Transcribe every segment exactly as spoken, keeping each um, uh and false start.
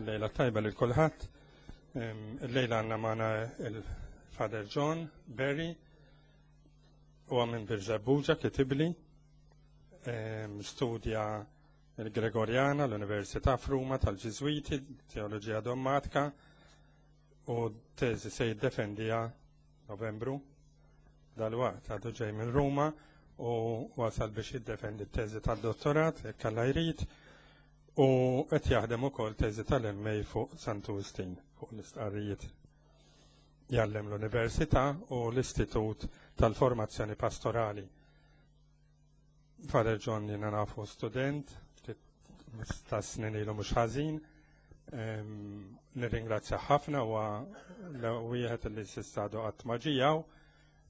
Lejla tajba lil kulħadd. Illejla għandna magħna il-Father John Berry, huwa minn Birżebbuġa, kitibli, studja il-Gregoriana, l-Università f'Ruma tal-Ġiżwiti, teoloġija dommatika, u teżi se jiddefendija Novembru dal-waqt. Għadu ġej minn Ruma u wasal biex jiddefendi t-teżi tad-dottorat, jekk Alla jrid, u qed jaħdem ukoll teżi tal-M A fuq Santu Wistin, fuq l-istqarrijiet. Jgħallem l-Università u l-Istitut tal-Formazzjoni Pastorali. Father John jiena nafu student, ta' snin ilu mhux ħażin. Nirringrazzja ħafna, u wieħed li s'issa għadu qatt ma ġie hawn,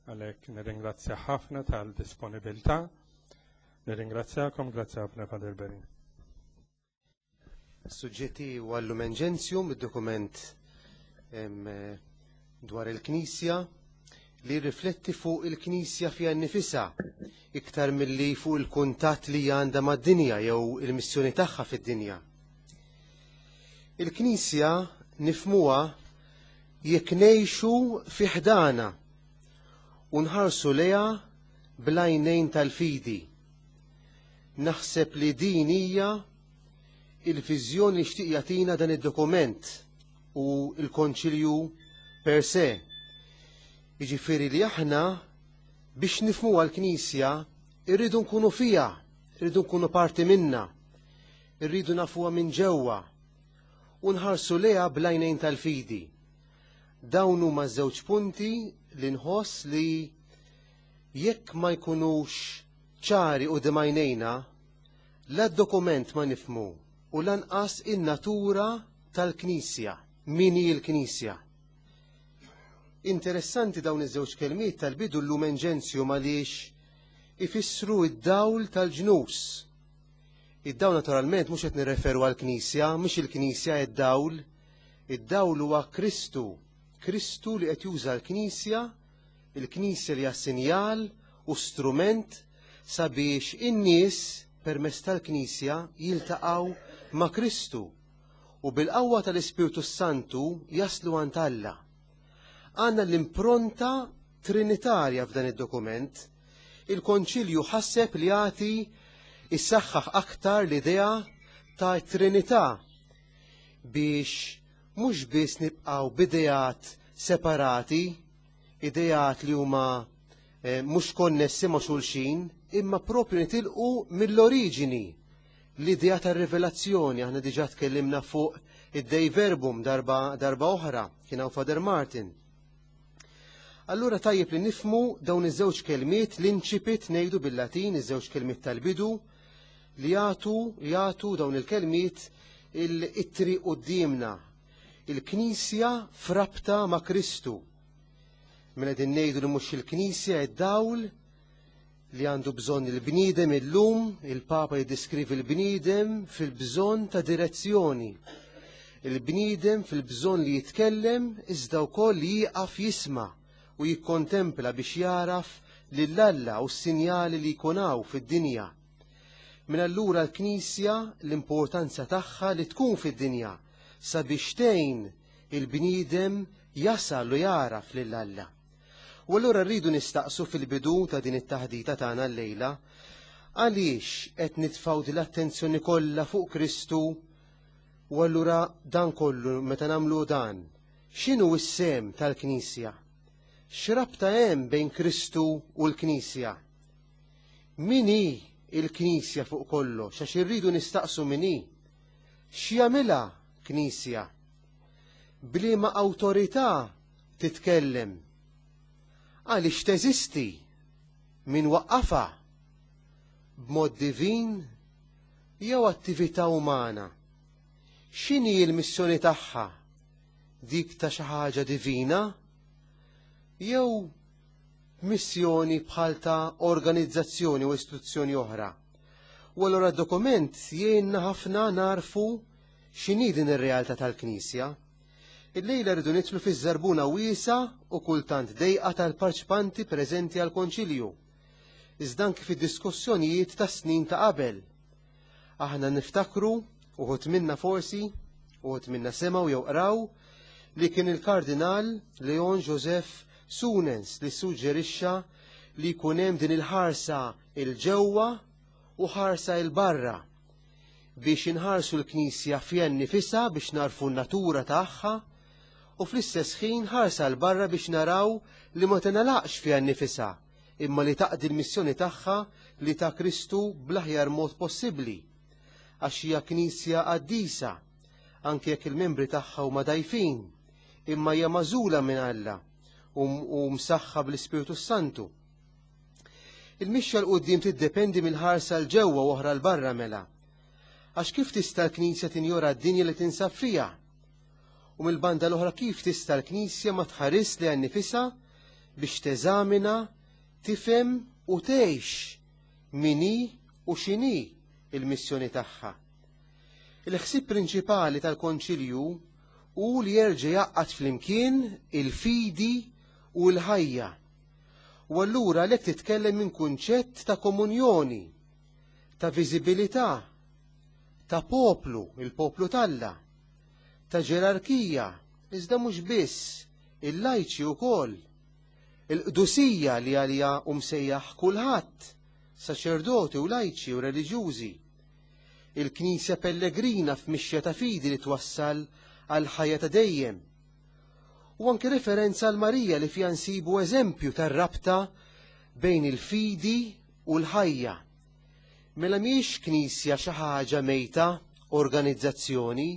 għalhekk nirringrazzja ħafna tal-disponibilità. Nirringrazzjakom, grazzi ħafna, Father Berry. Suġġetti huwa Lumen Gentium, id-dokument dwar il-Knisja li rifletti fuq il-Knisja fiha nnifisha iktar milli fuq il-kuntatt li għandha mad-dinja jew il-missjoni tagħha fid-dinja. Il-Knisja nifmuha jekk ngħixu fi ħdana u nħarsu lejha bl-għajnejn tal-fidi. Naħseb li din hija il-viżjoni li xtieq jagħtina dan id-dokument u l-Konċilju per se. Jiġifieri li aħna biex nifhmu għall-Knisja irridu nkunu fiha, irridu nkunu parti minna, irridu nafuha minn ġewwa u nħarsu lejha bl-għajnejn tal-fidi. Dawn huma żewġ punti li nħoss li jekk ma jkunux ċari u għajnejna, la dokument ma nifmu u lanqas in-natura tal-Knisja, min hi l-Knisja. Interessanti dawn iż-żewġ kelmiet tal-bidu, l-Lumen Gentium, għaliex ifissru id-dawl tal-ġnus. Id-dawl naturalment mhux qed nirreferu għall-Knisja, mhux il-Knisja id-dawl, id-dawl huwa Kristu, Kristu li qed juża l-Knisja, il-Knisja li hija sinjal u strument sabiex in-nies permezz tal-Knisja jiltaqgħu ma' Kristu u bil-qawwa tal-Ispirtu Santu jaslu għand Alla. Għandna l-impronta trinitarja f'dan id-dokument. Il-Konċilju ħasseb li jagħti issaħħaħ aktar l-idea ta' Trinità biex mhux biss nibqgħu b'ideat separati, ideat li huma eh, mhux konnessi ma' xulxin, imma propju nitilqu mill-oriġini, l-idea tar-rivelazzjoni. Aħna diġà tkellimna fuq id-Dei Verbum darba, darba oħra, kien hawn Father Martin. Allura tajjeb li nifmu dawn iż-żewġ kelmiet, l-incipit ngħidu bil-Latin, iż-żewġ kelmiet tal-bidu, li jagħtu jagħtu dawn il-kelmiet it-triq quddiemna. Il-Knisja frabta ma' Kristu. Mela din ngħidu li mhux il-Knisja id-dawl li għandu bżonn il-bniedem illum. Il-Papa jiddiskrivi il-bniedem fil-bżonn ta' direzzjoni. Il-bniedem fil-bżonn li jitkellem iżda wkoll li jieqaf jisma' u jikkontempla biex jaraf lil Alla u s-sinjali li jkun hawn fid-dinja. Min allura l-Knisja, l-importanza tagħha li tkun fid-dinja sabiex tgħin il-bniedem jasal u jaraf lil Alla. U allura rridu nistaqsu fil-bidu ta' din it-taħdita tagħna llejla għaliex qed nitfgħu din l-attenzjoni kollha fuq Kristu, u allura dan kollu meta nagħmlu dan, x'inhu s-sehem tal-Knisja? X'rabta hemm bejn Kristu u l-Knisja? Min hi il-Knisja fuq kollox? Għax irridu nistaqsu min hi. X'jagħmilha Knisja? B'liema awtorità titkellem? Għaliex teżisti? Min waqqafha? B'mod divin jew attività umana? X'inhi l-missjoni tagħha? Dik ta' xi ħaġa divina jew missjoni bħal ta' organizzazzjoni u istituzzjoni oħra? U allura dokument jgħinna ħafna narfu x'inhi din ir-realtà tal-Knisja. Illejla rridu nidħlu fiż-żarbuna wiesa u kultant dejqa tal-parċipanti preżenti għal-Konċilju. Iżda anki fid-diskussjonijiet ta' snin ta' qabel. Aħna niftakru, uħud minna forsi, Uħud minna semgħu jew qraw li kien il-Kardinal Leon Joseph Suenens li suġġerixxa li jkun hemm din il-ħarsa 'il ġewwa u ħarsa 'il barra biex inħarsu l-Knisja fiha nnifisha biex narfu n-natura tagħha u fl-istess ħin ħarsa 'l barra biex naraw li ma tingħalaqx fiha nnifisha imma li taqdi l-missjoni tagħha li ta' Kristu bl-aħjar mod possibbli għax hija Knisja qaddisa anke jekk il-membri tagħha huma dgħajfin imma hija magħżula minn Alla u msaħħa bl-Ispirtu Santu. Il-mixja 'l quddiem tiddependi mill-ħarsa 'l ġewwa u oħra 'l barra mela. Għax kif tista' l-Knisja tinjora d-dinja li tinsab fiha? U mill-banda l-oħra kif tista' l-Knisja ma tħares lejha nnifisha biex teżamina, tifhem u tgħix min hi u x'inhi il-missjoni tagħha. Il-ħsieb prinċipali tal-Konċilju hu li jerġa' jgħaqqad flimkien il-fidi u l-ħajja. U allura għalhekk titkellem minn kunċett ta' komunjoni, ta' viżibilità, ta' poplu, il-poplu t'Alla, ta' ġerarkija, iżda mhux biss, il-lajċi wkoll, il-qdusija li għalija hu msejjaħ kulħadd, saċerdoti u lajċi u reliġjużi, il-Knisja pellegrina f'mixja ta' fidi li twassal għal ħajja ta' dejjem. U anke referenza għal Marija li fiha nsibu eżempju tar-rabta bejn il-fidi u l-ħajja. Mela mhijiex Knisja xi ħaġa mejta, organizzazzjoni,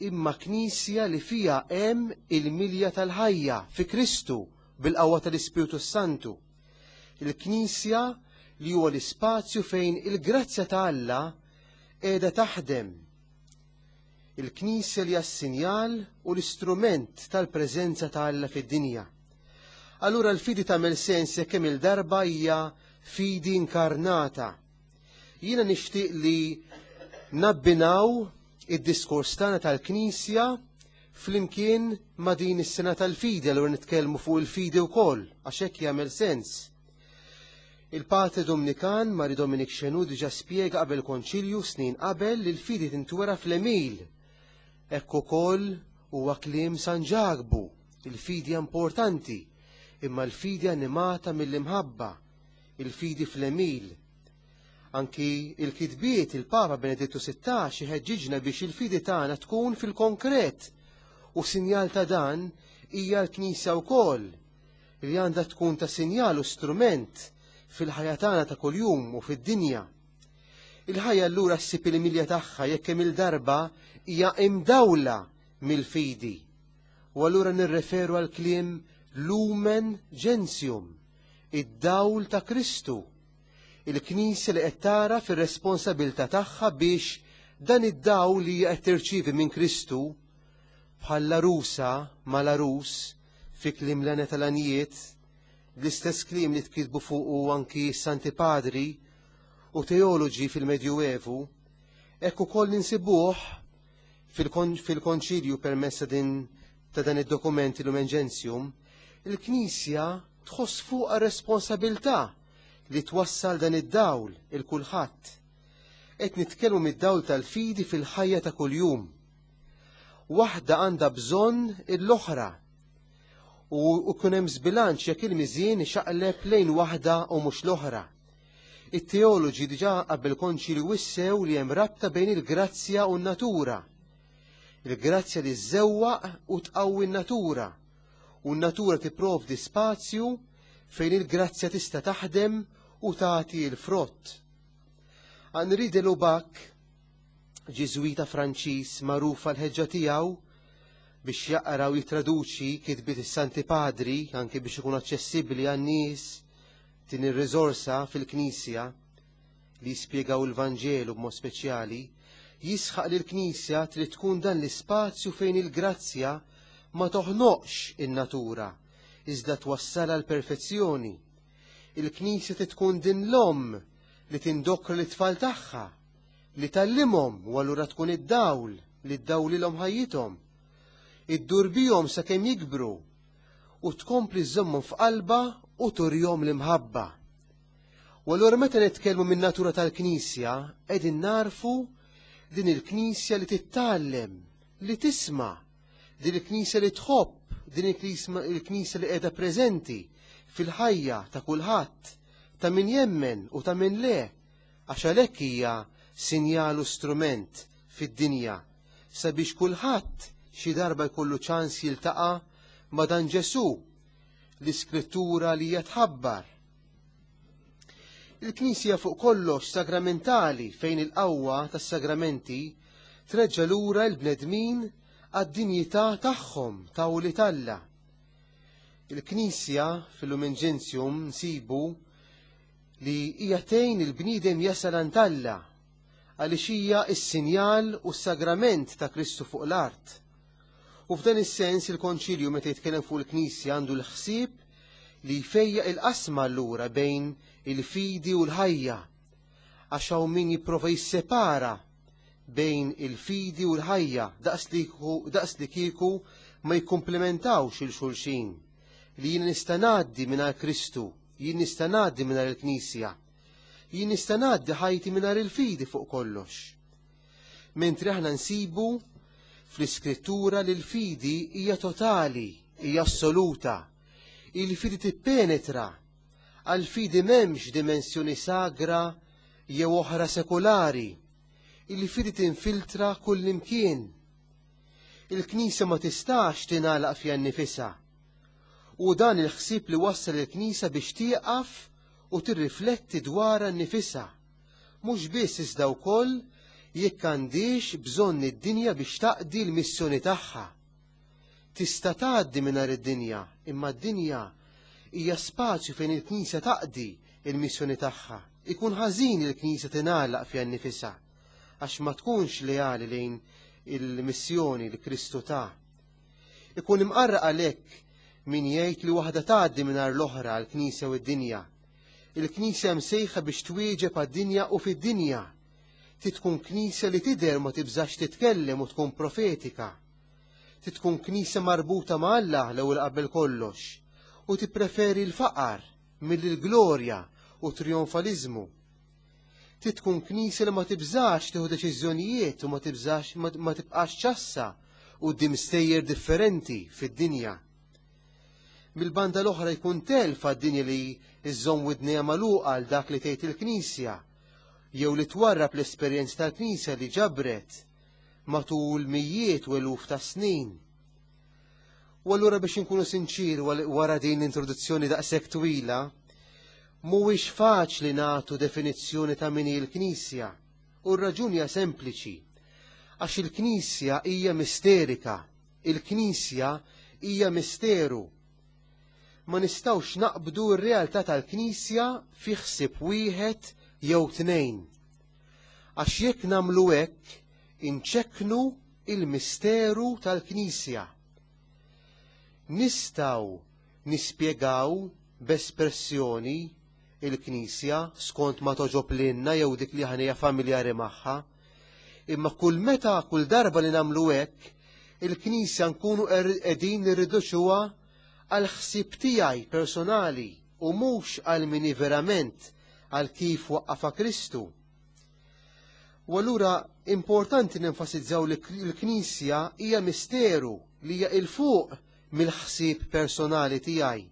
imma Knisja li fiha hemm il-milja tal-ħajja fi Kristu bil-qawwa tal-Ispirtu Santu. Il-Knisja li huwa l-ispazju fejn il-grazzja ta' Alla qiegħda taħdem. Il-Knisja li hija s-sinjal u l-istrument tal-preżenza ta' Alla fid-dinja. Allura l-fidi tagħmel sens jekk kemm il-darba hija fidi inkarnata. Jiena nixtieq li nabbinaw id-diskors tagħna tal-Knisja flimkien ma' din is-sena tal-fidi, allura nitkellmu fuq il-fidi wkoll, għax hekk jagħmel sens. Il-Patri Dominikan Marie Dominique Chenu diġà spjega qabel konċilju snin qabel li l-fidi tintwera fl-għemil. Hekk ukoll huwa kliem San Ġakbu, il-fidi importanti, imma l-fidi animata mill-imħabba, il-fidi fl-għemil. Anki il-kitbiet il-Papa Benedittu sittax iħeġġiġna biex il-fidi tagħna tkun fil-konkret u sinjal ta' dan hija l-Knisja wkoll li għandha tkun ta' sinjal u strument fil-ħajja tagħna ta' kuljum u fid-dinja. Il-ħajja allura ssib il-milja tagħha jekk hemm il-darba hija imdawla mill-fidi. U allura nirreferu għal kliem Lumen Gentium, id-dawl ta' Kristu. Il-Knisja li qed tara fir-responsabilità tagħha biex dan id-dawl li qed tirċievi minn Kristu bħall-għarusa mal-għarus fi kliem l-għana tal-għanijiet, l-istess kliem li tkitbu fuqu anki Santi Padri u teoloġi fil-Medjuevu, hekk ukoll ninsibuh fil-konċilju permezz ta' din ta' dan id-dokument Lumen Gentium, il-Knisja tħoss fuqha responsabilità li twassal dan id-dawl il kulħadd. Qed nitkellmu mid-dawl tal-fidi fil-ħajja ta' kuljum. Waħda għandha bżonn l-oħra. U kun hemm żbilanċ jekk il-miżien ixaqleb lejn waħda u mhux l-oħra. It-teoloġi diġà qabel konċilju wissew li hemm rabta bejn il-grazzja u n-natura. Il-grazzja li żżewwaq u tqawwi n-natura, u n-natura tipprovdi spazju fejn il-grazzja tista' taħdem u tagħti l-frott. Henri de Lubac, Ġiżwita Franċiż magħruf għall-ħeġġa tiegħu biex jaqra u jitraduċi kitbiet is-Santi Padri anke biex ikun aċċessibbli għan-nies din ir-riżorsa fil-Knisja li jispjegaw il-Vanġelu b'mod speċjali, jisħaq li l-Knisja trid tkun dan l-ispazju fejn il-grazzja ma toħnoqx in-natura, iżda twassalha l-perfezzjoni. Il-Knisja trid tkun din l-omm li tindokra l-tfal tagħha, li tallimhom u allura tkun id-dawl li ddawlilhom ħajjithom, iddur bihom sakemm jikbru u tkompli żżommhom f'qalba u turjhom l-imħabba. U allura meta nitkellmu min-natura tal-Knisja, qegħdin narfu din il-Knisja li tittgħallem, li tisma', din il-Knisja li tħobb, din il-Knisja li qiegħda preżenti fil-ħajja ta' kulħadd, ta' min jemmen u ta' min le, għax għalhekk hija sinjal u strument fid-dinja sabiex kulħadd xi darba jkollu ċans jiltaqa' ma' dan Ġesù, l-Iskrittura li hija tħabbar. Il-Knisja fuq kollox sagramentali fejn il-qawwa tas-sagramenti treġġa' lura l-bnedmin għad-dinjità tagħhom ta' wlied Alla. Il-Knisja fil-Lumen Gentium nsibu li hija tgħin il-bniedem jasal għand Alla għaliex hija s-sinjal u s-sagrament ta' Kristu fuq l-art. U f'dan is-sens il-Konċilju meta jitkellem fuq il-Knisja għandu l-ħsieb li jfejjaq il-qasma allura bejn il-fidi u l-ħajja, għax hawn min jipprova jissepara bejn il-fidi u l-ħajja daqs li kieku ma jikkumplementawx il xulxin, li jien nista' ngħaddi mingħajr Kristu, jien nista' ngħaddi mingħajr il-Knisja, jien nista' ngħaddi ħajti mingħajr il-fidi fuq kollox. Mentri aħna nsibu fl-Iskrittura li l-fidi hija totali, hija assoluta. Il-fidi tippenetra, għal-fidi m'hemmx dimensjoni sagra jew oħra sekulari. Il-fidi tinfiltra kull imkien. Il-Knisja ma tistax tingħalaq fiha nnifisha. U dan il-ħsieb li wassal il-Knisja biex tieqaf u tirrifletti dwarha nnifisha, mhux biss iżda wkoll jekk għandix bżonn id-dinja biex taqdi l-missjoni tagħha. Tista' tgħaddi mingħajr id-dinja, imma d-dinja hija spazju fejn il-Knisja taqdi l-missjoni tagħha. Ikun ħażin il-Knisja tingħalaq fiha nnifisha għax ma tkunx leali lejn il-missjoni li Kristu ta. Ikun imqarraq għalhekk min jgħid li waħda tgħaddi mingħajr l-oħra għall-Knisja u d-dinja. Il-Knisja msejħa biex twieġeb għad-dinja u fid-dinja. Titkun Knisja li tidher ma tibżax titkellem u tkun profetika. Titkun Knisja marbuta ma' Alla l-ewwel qabel kollox u tippreferi l-faqar mill-glorja u trionfaliżmu. Titkun Knisja li ma tibżax tieħu deċiżjonijiet u ma tibżax ma tibqax ċassa quddiem stejjer differenti fid-dinja. Mill-banda l-oħra jkun telf għad-dinja li iżżomm widnejha magħluqa għal dak li tgħid il-Knisja, jew li twarrab l-esperjenza tal-Knisja li ġabret matul mijiet u eluf ta' snin. U allura biex inkunu sinċiri wara din l-introduzzjoni daqshekk twila, mhuwiex faċli nagħtu definizzjoni ta' min hi l-Knisja, u r-raġuni hija sempliċi, għax il-Knisja hija misterika, il-Knisja hija misteru. Ma nistgħux naqbdu r-realtà tal-Knisja fi ħsieb wieħed jew tnejn. Għax jekk nagħmlu hekk, inċekknu il-misteru tal-Knisja. Nistgħu nispjegaw b'espressjoni il-Knisja skont ma toġob lilna jew dik li ħanija familjari magħha, imma kull meta, kull darba li nagħmlu hekk, il-Knisja nkunu qegħdin nirriduċuha għal ħsieb tiegħi personali u mhux għal min verament għal kif waqqafa Kristu. U allura importanti nenfasizzaw li l-Knisja hija misteru li hija il fuq mill-ħsieb personali tiegħi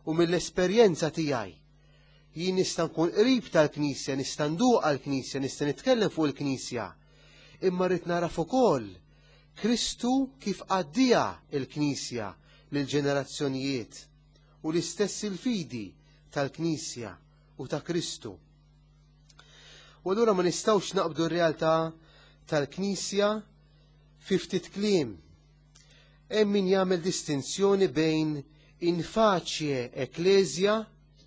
u mill-esperjenza tiegħi. Jien nista' nkun qrib tal-Knisja, nista' nduq għall-Knisja, nista' nitkellem fuq il-Knisja, imma rrid naraf ukoll Kristu kif għaddija il-Knisja lill-ġenerazzjonijiet u l-istess il-fidi tal-Knisja u ta' Kristu. U allura ma nistgħux naqbdu r-realtà tal-Knisja fi ftit kliem. Hemm min jagħmel distinzjoni bejn in facie ecclesia,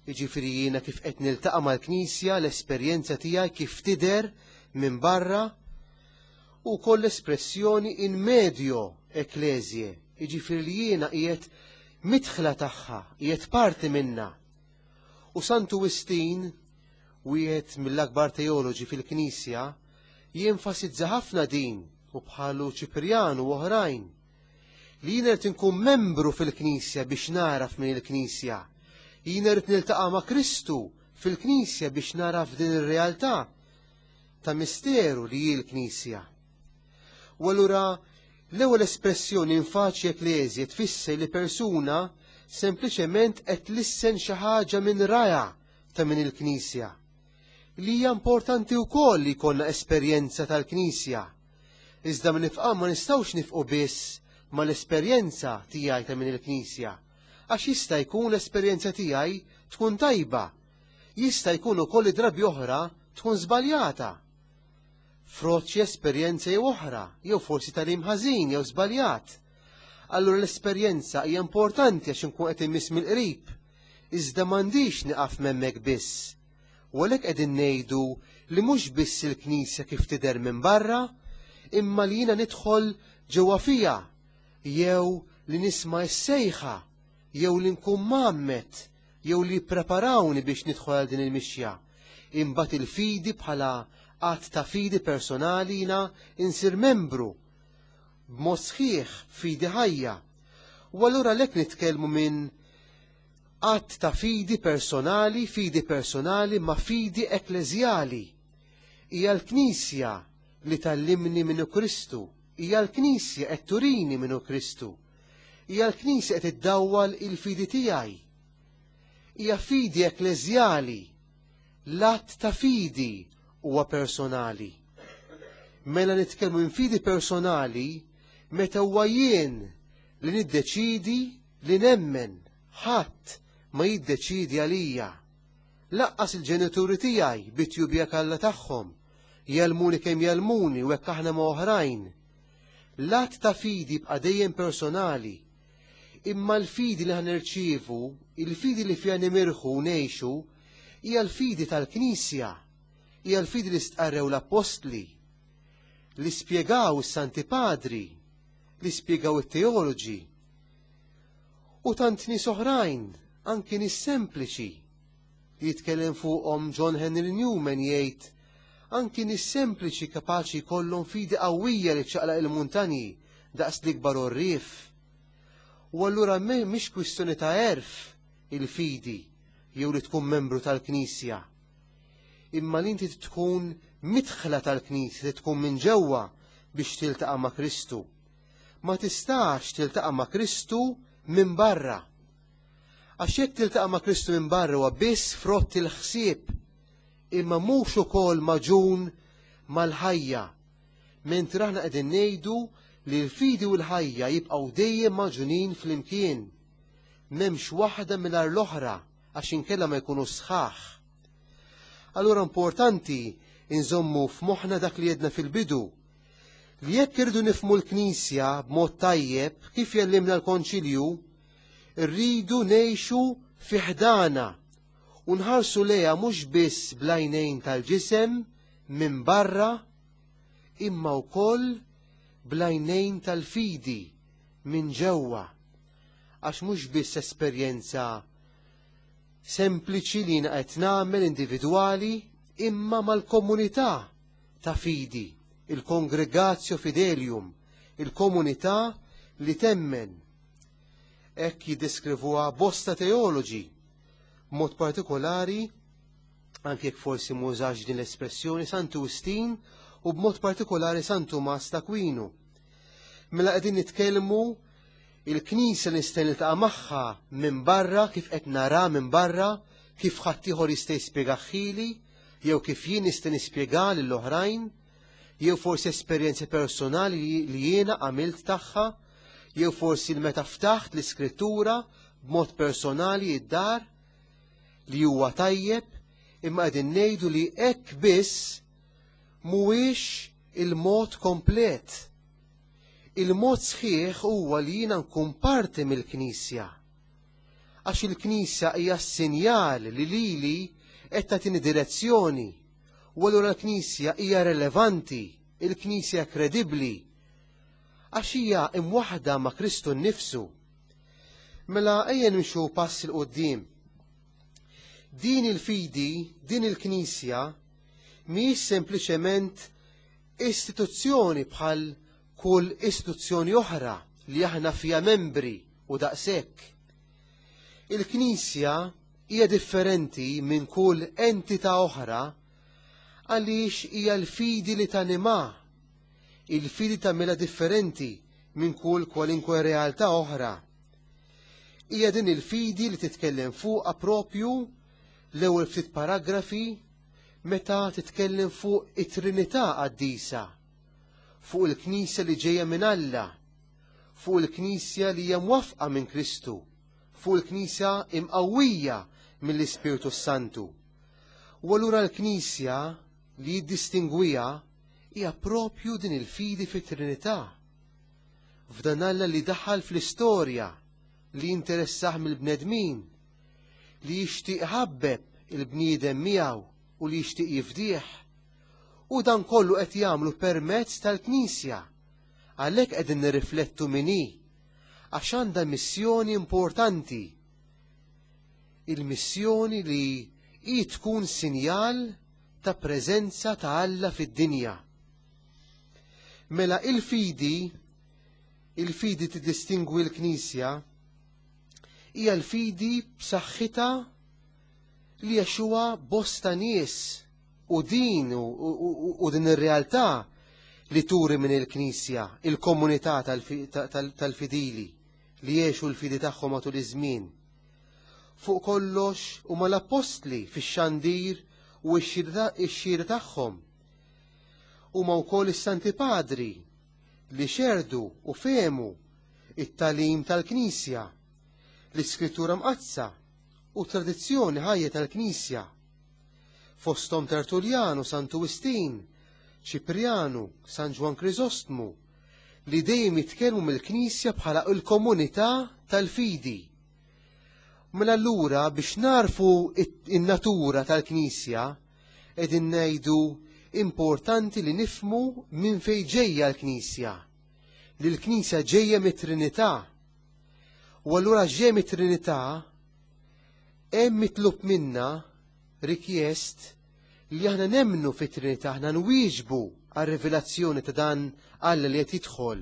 jiġifieri jiena kif qed niltaqa' mal-Knisja, l-esperjenza tiegħi kif tidher minn barra, u koll espressjoni in medio ecclesiae, jiġifieri li jiena qiegħed midħla tagħha, qiegħed parti minna. U Santu Wistin, wieħed mill-akbar teoloġi fil-Knisja, jenfasizza ħafna din, u bħalu Ċiprianu u oħrajn, li jiena rrid inkun membru fil-Knisja biex naraf minn il-Knisja. Jiena rrid niltaqa' ma' Kristu fil-Knisja biex naraf din ir-realtà ta' misteru li hi l-Knisja. U allura L-ewwel espressjoni in facie ecclesiae tfisser li persuna sempliċement qed tlissen xi ħaġa minn raja ta' min il-Knisja. Li hija importanti wkoll li jkollna esperjenza tal-Knisja. Iżda minn nifqa ma nistgħux nifqu biss mal-esperjenza tiegħi ta' min il-Knisja. Għax jista' jkun l-esperjenza tiegħi tkun tajba. Jista' jkun ukoll drabi oħra tkun żbaljata. Frott xi esperjenza jew oħra, jew forsi tagħlim ħażin jew żbaljat. Allura l-esperjenza hija importanti għax inkun qed immiss mill-qrib. Iżda m'għandix nieqaf hemmhekk biss. U għalhekk qegħdin ngħidu li mhux biss il-Knisja kif tidher minn barra, imma li jiena nidħol ġewwa fija, jew li nisma' s-sejħa, jew li nkun mgħammed, jew li jippreparawni biex nidħol għal din il-mixja. Imbagħad il-fidi bħala att ta' fidi personali jiena insir membru b'mod sħiħ fidi ħajja. U allura lek nitkellmu minn att ta' fidi personali, fidi personali ma' fidi ekkleżjali. Hija l-Knisja li tgħallimni minnu Kristu, hija l-Knisja qed turini minnu Kristu, hija l-Knisja qed iddawwal il-fidi tiegħi. Hija fidi ekkleżjali, l-att ta' fidi huwa personali. Mela nitkellmu minn fidi personali meta huwa jien li niddeċidi li nemmen, ħadd ma jiddeċidi għalija. Laqqas il-ġenituri tiegħi bit-tjubija kalla tagħhom, jgħallmuni kemm jgħallmuni u hekk aħna ma' oħrajn. L-att ta' fidi bqa' dejjem personali, imma l-fidi li ħanerċievu, il-fidi li fiha nimirħu u ngħixu, hija l-fidi tal-Knisja, hija l-fidi li stqarrew l-Appostli, li spjegaw is-Santi Padri, li spjegaw it-teoloġi. U tant nies oħrajn, anki nies sempliċi, li jitkellem fuqhom John Henry Newman jgħid, anki nies sempliċi kapaċi jkollhom fidi qawwija li ċaqlaq il-muntanji daqs l-ikbar għorrief. U allura mhix kwistjoni ta' għerf il-fidi jew li tkun membru tal-Knisja, imma li inti tkun midħla tal-Knisja, li tkun minn ġewwa biex tiltaqa' ma' Kristu. Ma tistax tiltaqa' ma' Kristu minn barra. Għax jekk tiltaqa' ma' Kristu minn barra huwa biss frott il-ħsieb, imma mhux ukoll maġun mal-ħajja. Mentri aħna qegħdin ngħidu li l-fidi u l-ħajja jibqgħu dejjem maġunin flimkien. M'hemmx waħda mingħajr l-oħra għax inkella ma jkunu sħaħ. Allura importanti inżommu f'moħħna dak li jedna fil-bidu, li jekk irridu nifhmu l-Knisja b'mod tajjeb kif jellimna l-Konċilju, rridu ngħixu fi ħdana u nħarsu lejha mhux biss bl-għajnejn tal-ġisem minn barra, imma wkoll bl-għajnejn tal-fidi minn ġewwa, għax mhux biss esperjenza sempliċi li jiena qed nagħmel individwali, imma mal-komunità ta' fidi, il-Congregatio Fidelium, il-komunità li temmen. Hekk jiddeskrivuha bosta teoloġi, b'mod partikolari, anke jekk forsi mużax din l-espressjoni, Santu Wistin u b'mod partikolari San Tumas t'Akwinu. Mela qegħdin nitkellmu il-Knisja nista' niltaqa' magħha minn barra, kif qed nara minn barra, kif ħaddieħor jista' jispjegaħili, jew kif jien nista' nispjega lill-oħrajn, jew forsi esperjenzi personali li jiena għamilt tagħha, jew forsi meta ftaħt l-iskrittura b'mod personali id-dar li huwa tajjeb, imma qegħdin ngħidu li hekk biss mhuwiex il-mod komplet. Il-mod sħiħ huwa li jiena nkun parti mill-Knisja. Għax il-Knisja hija s-sinjal li lili qed tagħtini direzzjoni. U allura l-Knisja hija relevanti, il-Knisja kredibbli, għax hija imwaħda ma' Kristu nnifsu. Mela ejja nimxu pass il quddiem. Din il-fidi, din il-Knisja, mhijiex sempliċement istituzzjoni bħal kull istituzzjoni oħra li aħna fija membri u daqshekk. Il-Knisja hija differenti minn kull entità oħra għaliex hija l-fidi li tanima, il-fidi tagħmilha differenti minn kull kwalinkwe realtà oħra. Hija din il-fidi li titkellem fuqha propju l-ewwel ftit paragrafi meta titkellem fuq it-Trinità qaddisa, fuq il-Knisja li ġejja minn Alla, fuq il-Knisja li hija mwafqa minn Kristu, fuq il-Knisja imqawwija mill-Ispirtu Santu. U allura l-Knisja li jiddistingwiha hija propju din il-fidi fit-Trinità. F'dan Alla li daħal fl-istorja, li jinteressah mill-bnedmin, li jixtieq ħabbeb il-bniedem miegħu u li jixtieq jifdih. U dan kollu qed jagħmlu permezz tal-Knisja. Għalhekk qegħdin nirriflettu min hi, għax għandha missjoni importanti. Il-missjoni li hi tkun sinjal ta' preżenza ta' Alla fid-dinja. Mela il-fidi, il-fidi tiddistingwi l-Knisja, hija l-fidi b'saħħitha li għexuha bosta nies u din u, u, u din ir-realtà li turi minn il-Knisja, il-komunità tal-fidili li jgħixu l-fidi tagħhom matul iż-żmien. Fuq kollox huma l-appostli fix-xandir u x-xhieda tagħhom. Huma wkoll is-Santi Padri li xerdu u fehmu it-tagħlim tal-Knisja, l-Iskrittura Mqaddsa u tradizzjoni ħajja tal-Knisja. Fosthom Tertullianu, Santu Wistin, Ċiprianu, San Ġwann Krisostmu, li dejjem jitkellmu mill-Knisja bħala l-komunità tal-fidi. Mela allura biex narfu in-natura tal-Knisja, qegħdin ngħidu importanti li nifmu minn fejn ġejja l-Knisja, li l-Knisja ġejja mit-Trinità. U allura ġejja mit-Trinità hemm mitlub minna rikjest li aħna nemmnu fit-Trinità, aħna nwieġbu għar-rivelazzjoni ta' dan Alla li qed jidħol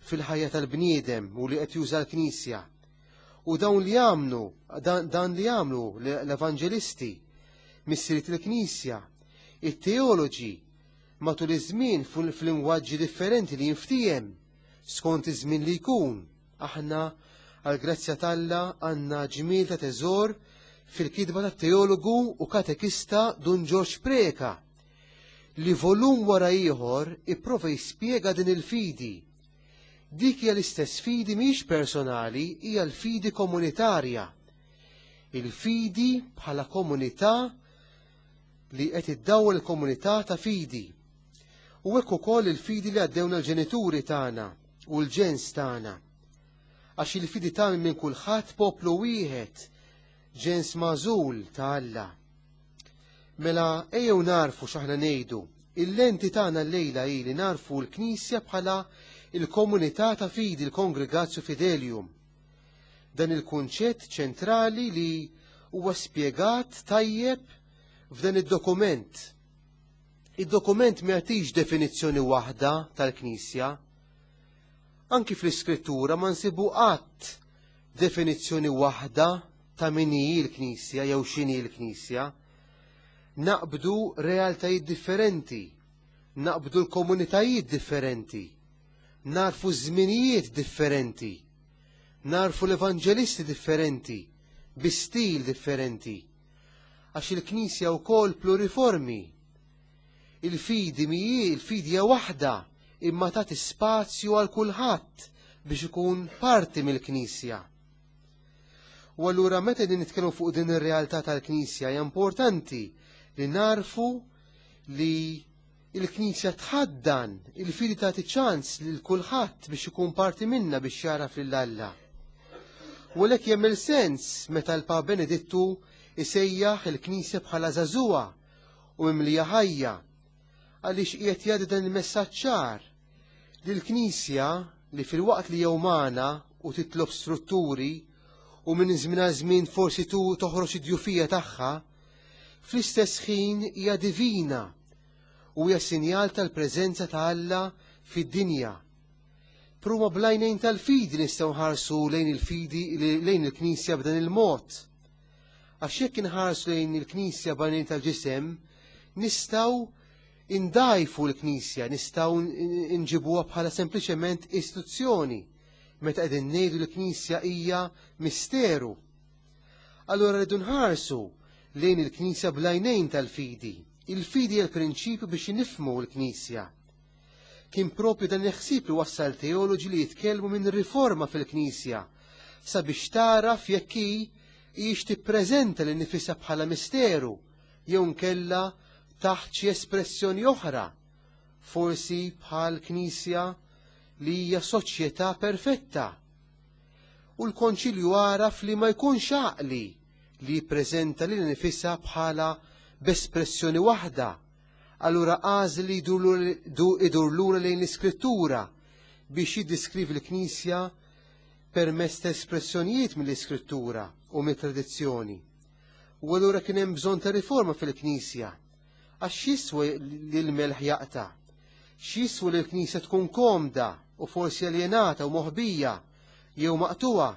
fil-ħajja tal-bniedem u li qed juża l-Knisja. U dawn li jagħmlu, dan, dan li jagħmlu l-evanġelisti, missiriet il-Knisja, it-teoloġi matul iż-żmien fil-lingwaġġi differenti li jinftiehem skont iż-żmien li jkun. Aħna għall-grazzja t'Alla għandna ġmiel ta' teżor fil-kitba tat-teologu u katekista Dun Ġorġ Preka, li volum wara ieħor ipprova jispjega din il-fidi. Dik hija l-istess fidi mhix personali, hija l-fidi komunitarja. Il-fidi bħala komunità li qed iddawwal il-komunità ta' fidi. U hekk ukoll il-fidi li għaddewna l-ġenituri tagħna u l-ġens tagħna. Għax il-fidi tagħmel minn kulħadd poplu wieħed, ġens magħżul ta' Alla. Mela ejjew narfu x'aħna ngħidu. Il-lenti tagħna llejla hi li narfu l-Knisja bħala il-komunità ta' fidi, il-Congregatio Fidelium. Dan il-kunċett ċentrali li huwa spjegat tajjeb f'dan id-dokument. Id-dokument ma jagħtix definizzjoni waħda tal-Knisja. Anki fl-Iskrittura ma nsibu qatt definizzjoni waħda ta' min hi l-Knisja jew x'inhi l-Knisja. Naqbdu realtajiet differenti, naqbdu l-komunitajiet differenti, narfu żminijiet differenti, narfu l-evanġelisti differenti, bi stil differenti. Għax il-Knisja wkoll pluriformi. Il-fidi mhi, il-fidi hija waħda, imma tagħti spazju għal kulħadd biex ikun parti mill-Knisja. U allura meta din nitkellmu fuq din ir-realtà tal-Knisja hija importanti li narfu li il-Knisja tħaddan, il-fidi tagħti ċans lil kulħadd biex ikun parti minna biex jaraf lil Alla. U għalhekk jagħmel sens meta l-Papa Benedittu isejjaħ il-Knisja bħala żagħżugħa u mimlija ħajja, għaliex qiegħed jgħaddi dan il-messaġġ ċar li l-Knisja li fil-waqt li jew magħna u titlob strutturi u minn żmien għal żmien forsi tu toħroġ id-djufija tagħha, fl-istess ħin hija divina u hija sinjal tal-preżenza ta' Alla fid-dinja. Pruma blajnejn tal-fidi nistgħu nħarsu lejn il-fidi lejn il-Knisja b'dan il-mod. Għax jekk inħarsu lejn il-Knisja b'għajnejn tal-ġisem, nistgħu Indajfu l-Knisja, nistgħu nġibuha bħala sempliċement istituzzjoni, meta qegħdin ngħidu l-Knisja hija misteru. Allura rridu nħarsu lejn il-Knisja bl-għajnejn tal-fidi. Il-fidi hija l-prinċipju biex nifhmu l-Knisja. Kien propju dan il-ħsieb li wassal teoloġi li jitkellmu minn riforma fil-Knisja sabiex taraf jekk hi hijiex tippreżenta lil nifisha bħala misteru jew nkella taħt xi espressjoni oħra, forsi bħal Knisja li hija soċjetà perfetta. U l-Konċilju għaraf li ma jkunx għaqli li jippreżenta lil nifisha bħala b'espressjoni waħda. Allura għażel li idur lura lejn l-Iskrittura biex jiddiskrivi l-Knisja permezz ta' espressjonijiet mill-Iskrittura u mit-tradizzjoni. U allura kien hemm bżonn ta' riforma fil-Knisja. Għax x'jiswa li l-melħ jaqta'? X'jiswa li l-Knisja tkun komda u forsi aljenata u moħbija jew maqtuha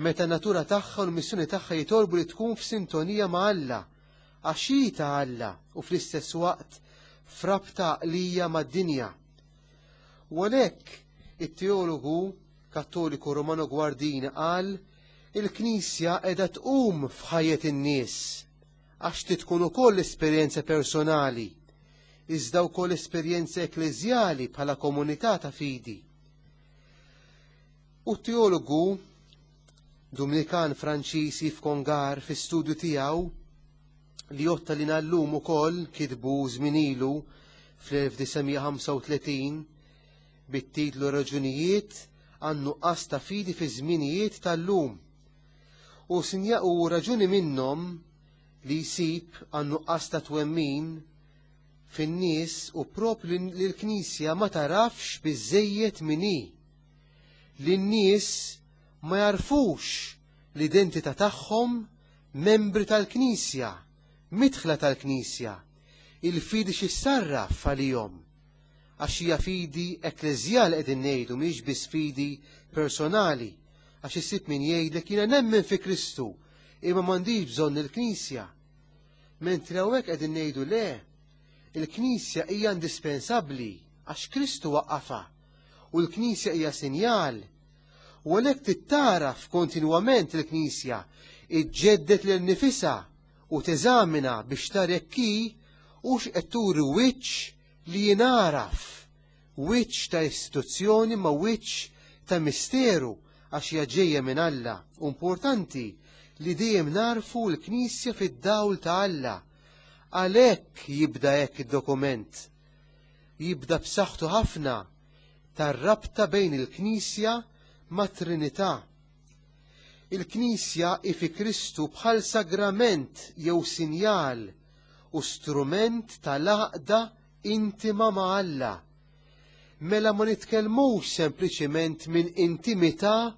meta natura tagħha u l-missjoni tagħha jitolbu li tkun f'sintonija ma' Alla, għax hi ta' Alla u fl-istess waqt frabta għaqlija mad-dinja. U għalhekk it-teologu Kattoliku Romano Guardini qal il-Knisja qiegħda tqum f'ħajjet in-nies għax tkun ukoll esperjenza personali, iżda wkoll esperjenza ekkleżjali bħala komunità ta' fidi. U t-teologu Dominikan Franċis Yves Congar fi studju tiegħu li jotta li nallum ukoll kitbu żmien ilu fl-elf disa' mija ħamsa u tletin bit-titlu Raġunijiet għan-nuqqas ta' fidi fi żminijiet tal-lum. U sinja u raġuni minnhom li jsib għan-nuqqas ta' twemmin fin-nies u propju li l-Knisja ma tarafx biżejjed min hi. Li n-nies ma jarfux l-identità tagħhom membri tal-Knisja, midħla tal-Knisja, il-fidi x'issarraf għalihom. Għax hija fidi ekkleżjali qegħdin ngħidu, mhix biss fidi personali, għax issib min jgħidlek jiena nemmen fi Kristu, imma m'għandix bżonn il-Knisja. Mentri hawnhekk qegħdin ngħidu le, il-Knisja hija indispensabbli għax Kristu waqqafha u l-Knisja hija sinjal. U għalhekk tittaraf kontinwament il-Knisja, iġġeddet lil nifisha u teżamina biex tara jekk hi hux qed turi wiċċ li jingħaraf, wiċċ ta' istituzzjoni ma' wiċċ ta' misteru għax hija ġejja minn Alla. Importanti li dejjem narfu l-Knisja fid-dawl ta' Alla. Għalhekk jibda hekk id-dokument. Jibda b'saħħtu ħafna tar-rabta bejn il-Knisja ma' Trinità. Il-Knisja hi fi Kristu bħal sagrament jew sinjal u strument tal-għaqda intima ma' Alla. Mela ma nitkellmux sempliċiment minn intimità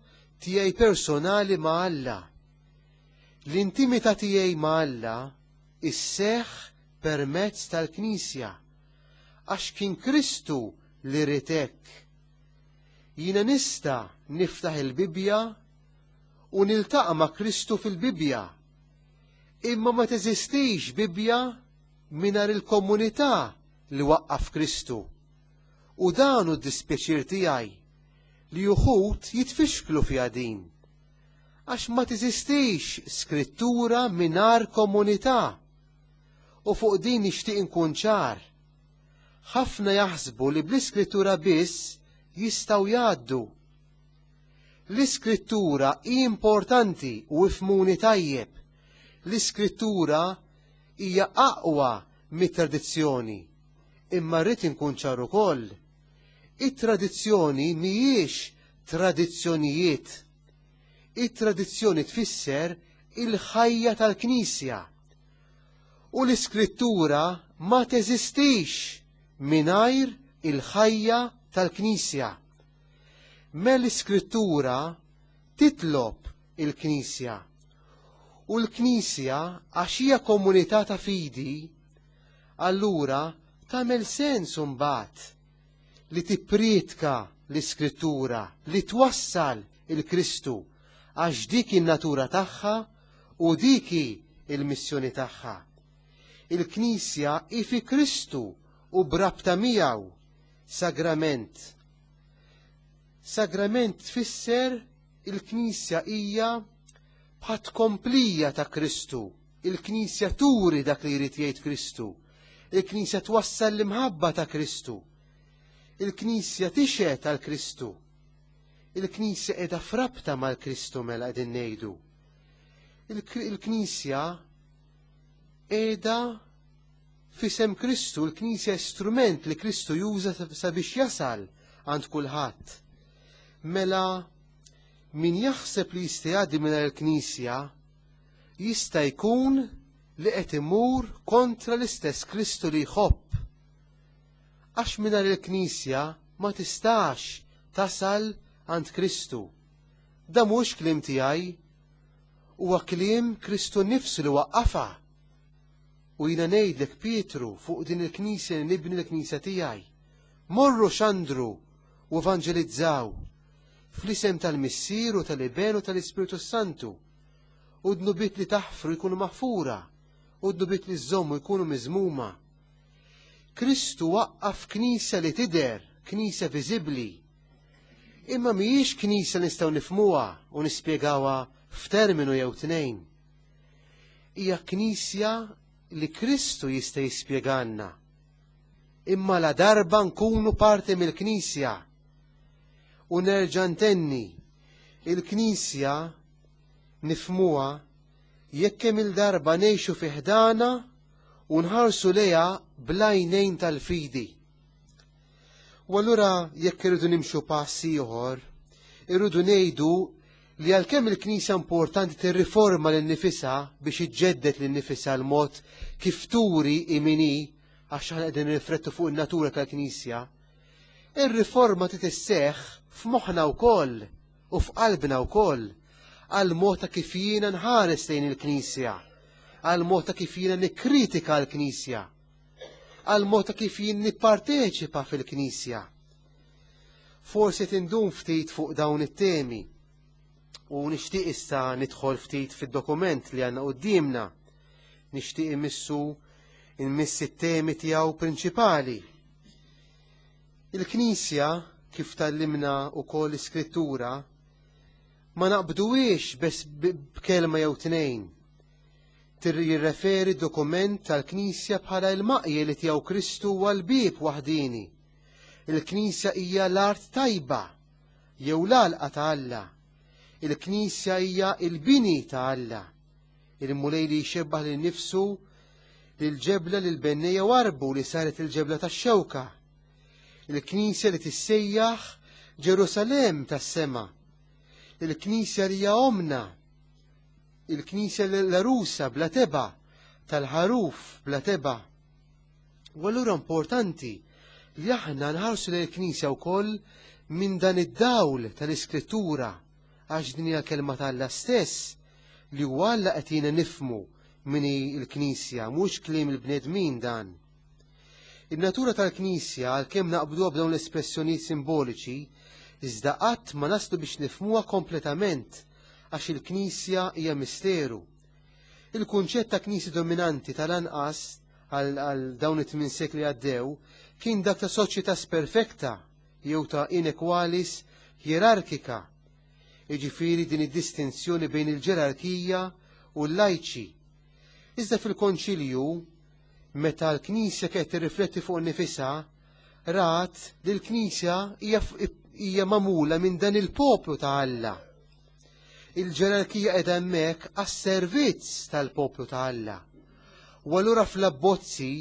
tiegħi personali ma' Alla. L-intimità tiegħi ma' Alla isseħħ permezz tal-Knisja, għax kien Kristu li ried hekk. Jiena nista' niftaħ il-Bibbja u niltaqa' ma' Kristu fil-Bibbja, imma ma teżistix Bibbja mingħajr il-komunità li waqqaf Kristu. U dan hu d-dispjaċir tiegħi li uħud jitfixklu fiha din, għax ma teżistix skrittura mingħajr komunità. U fuq din nixtieq inkun ċar. Ħafna jaħsbu li bl-iskrittura biss jistgħu jgħaddu. L-iskrittura hi importanti u ifhmuni tajjeb. L-iskrittura hija aqwa mit-tradizzjoni, imma rrid inkun ċar ukoll. It-tradizzjoni mhijiex tradizzjonijiet. It-tradizzjoni tfisser il-ħajja tal-Knisja. U l-iskrittura ma teżistix mingħajr il-ħajja tal-Knisja. Me l-iskrittura titlob il-Knisja. U l-Knisja, għax hija komunità ta' fidi, allura tagħmel sens imbagħad li tippriedka l-iskrittura, li twassal il-Kristu, għax dik in-natura tagħha u dik il-missjoni tagħha. Il-Knisja hi fi Kristu u brabta miegħu, sagrament. Sagrament tfisser il-Knisja hija bħat komplija ta' Kristu. Il-Knisja turi dak li jrid jgħid Kristu. Il-Knisja twassal l-imħabba ta' Kristu. Il-Knisja tixhed għal Kristu. Il-Knisja qiegħda frabta mal-Kristu mela qegħdin ngħidu. Il-Knisja qiegħda f'isem Kristu, il-Knisja strument li Kristu juża sabiex jasal għand kulħadd. Mela min jaħseb li jista' jgħaddi mingħajr il-Knisja jista' jkun li qed imur kontra l-istess Kristu li jħobb. Għax mingħajr il-Knisja ma tistax tasal għand Kristu. Da mhux kliem tiegħi, huwa kliem Kristu nnifsu li waqqafha. U jiena ngħidlek Pietru fuq din il-Knisja li nibni l-Knisja tiegħi. Morru xandru u evanġelizzaw fl-isem tal-Missier u tal-Iben u tal-Ispirtu Santu. U dnubiet li taħfru jkunu maħfura, u dnubiet li żommu jkunu miżmuma. Kristu waqqaf knisja li tidher, knisja viżibbli. Imma mhijiex knisja nistgħu nifhmuha u nispjegawha f'terminu jew tnejn. Hija knisja li Kristu jista' jispjegalna. Imma la darba nkunu parti mill-Knisja. U nerġa' ntenni, il-Knisja nifhmuha jekk kemm il-darba ngħixu fi ħdana u nħarsu lejha bl-għajnejn tal-fidi. U allura jekk irridu nimxu pass ieħor, irridu ngħidu li għalkemm il-Knisja importanti tirriforma lil nifisha biex iġġedded lil nifisha l-mod kif turi imini, għax aħna qegħdin nirriflettu fuq in-natura tal-Knisja, ir-riforma trid isseħħ f'moħħna wkoll u f'qalbna wkoll għal mod ta' kif jiena nħares lejn il-Knisja, għal mod ta' kif jiena nikkritika l-Knisja, għal mod ta' kif jien nipparteċipa fil-Knisja. Forsi tindum ftit fuq dawn it-temi u nixtieq issa nidħol ftit fid-dokument li għandna quddiemna. Nixtieq imissu immissi t-temi tiegħu prinċipali. Il-Knisja, kif tallimna wkoll l-Iskrittura, ma naqbduwiex bes b'kelma jew tnejn. Jirreferi dokument tal-Knisja bħala il-maqje li tiegħu Kristu huwa l-bieb waħdini. Il-Knisja hija l-art tajba jew l-għalqa ta' Alla. Il-Knisja hija il-bini ta' Alla. Il-Mulej li jxebbaħ lil nifsu lil-ġebla li l-bennejja warbu li saret il-ġebla tax-xewka. Il-Knisja li tissejjaħ Ġerusalem tas-sema. Il-Knisja li hija omna. Il-Knisja l-arusa bla teba, tal-ħaruf bla teba. U allura importanti li aħna nħarsu lill-Knisja wkoll minn dan id-dawl tal-Iskrittura, għax din hija l-kelma ta' Alla stess li huwa Alla qed jiena nifhmu min hi l-Knisja, mhux kliem il-bnedmin dan. In-natura tal-Knisja, għalkemm naqbduha b'dawn l-espressjonijiet simboliċi, iżda qatt ma naslu biex nifhmuha kompletament, għax il-Knisja hija misteru. Il-kunċett ta' Knisja dominanti tal-anqas għal dawn it-tmien sekli għaddew kien dak ta' soċjetà perfekta jew ta' inequalis hierarkika. Jiġifieri din id-distinzjoni bejn il-ġerarkija u l-lajċi. Iżda fil-Konċilju, meta l-Knisja kienet tirrifletti fuq nifisha, rat li l-Knisja hija magħmula minn dan il-poplu ta' Alla. Il-ġerarkija qiegħda hemmhekk għas-servizz tal-poplu ta' Alla. U allura fl-abbozzi,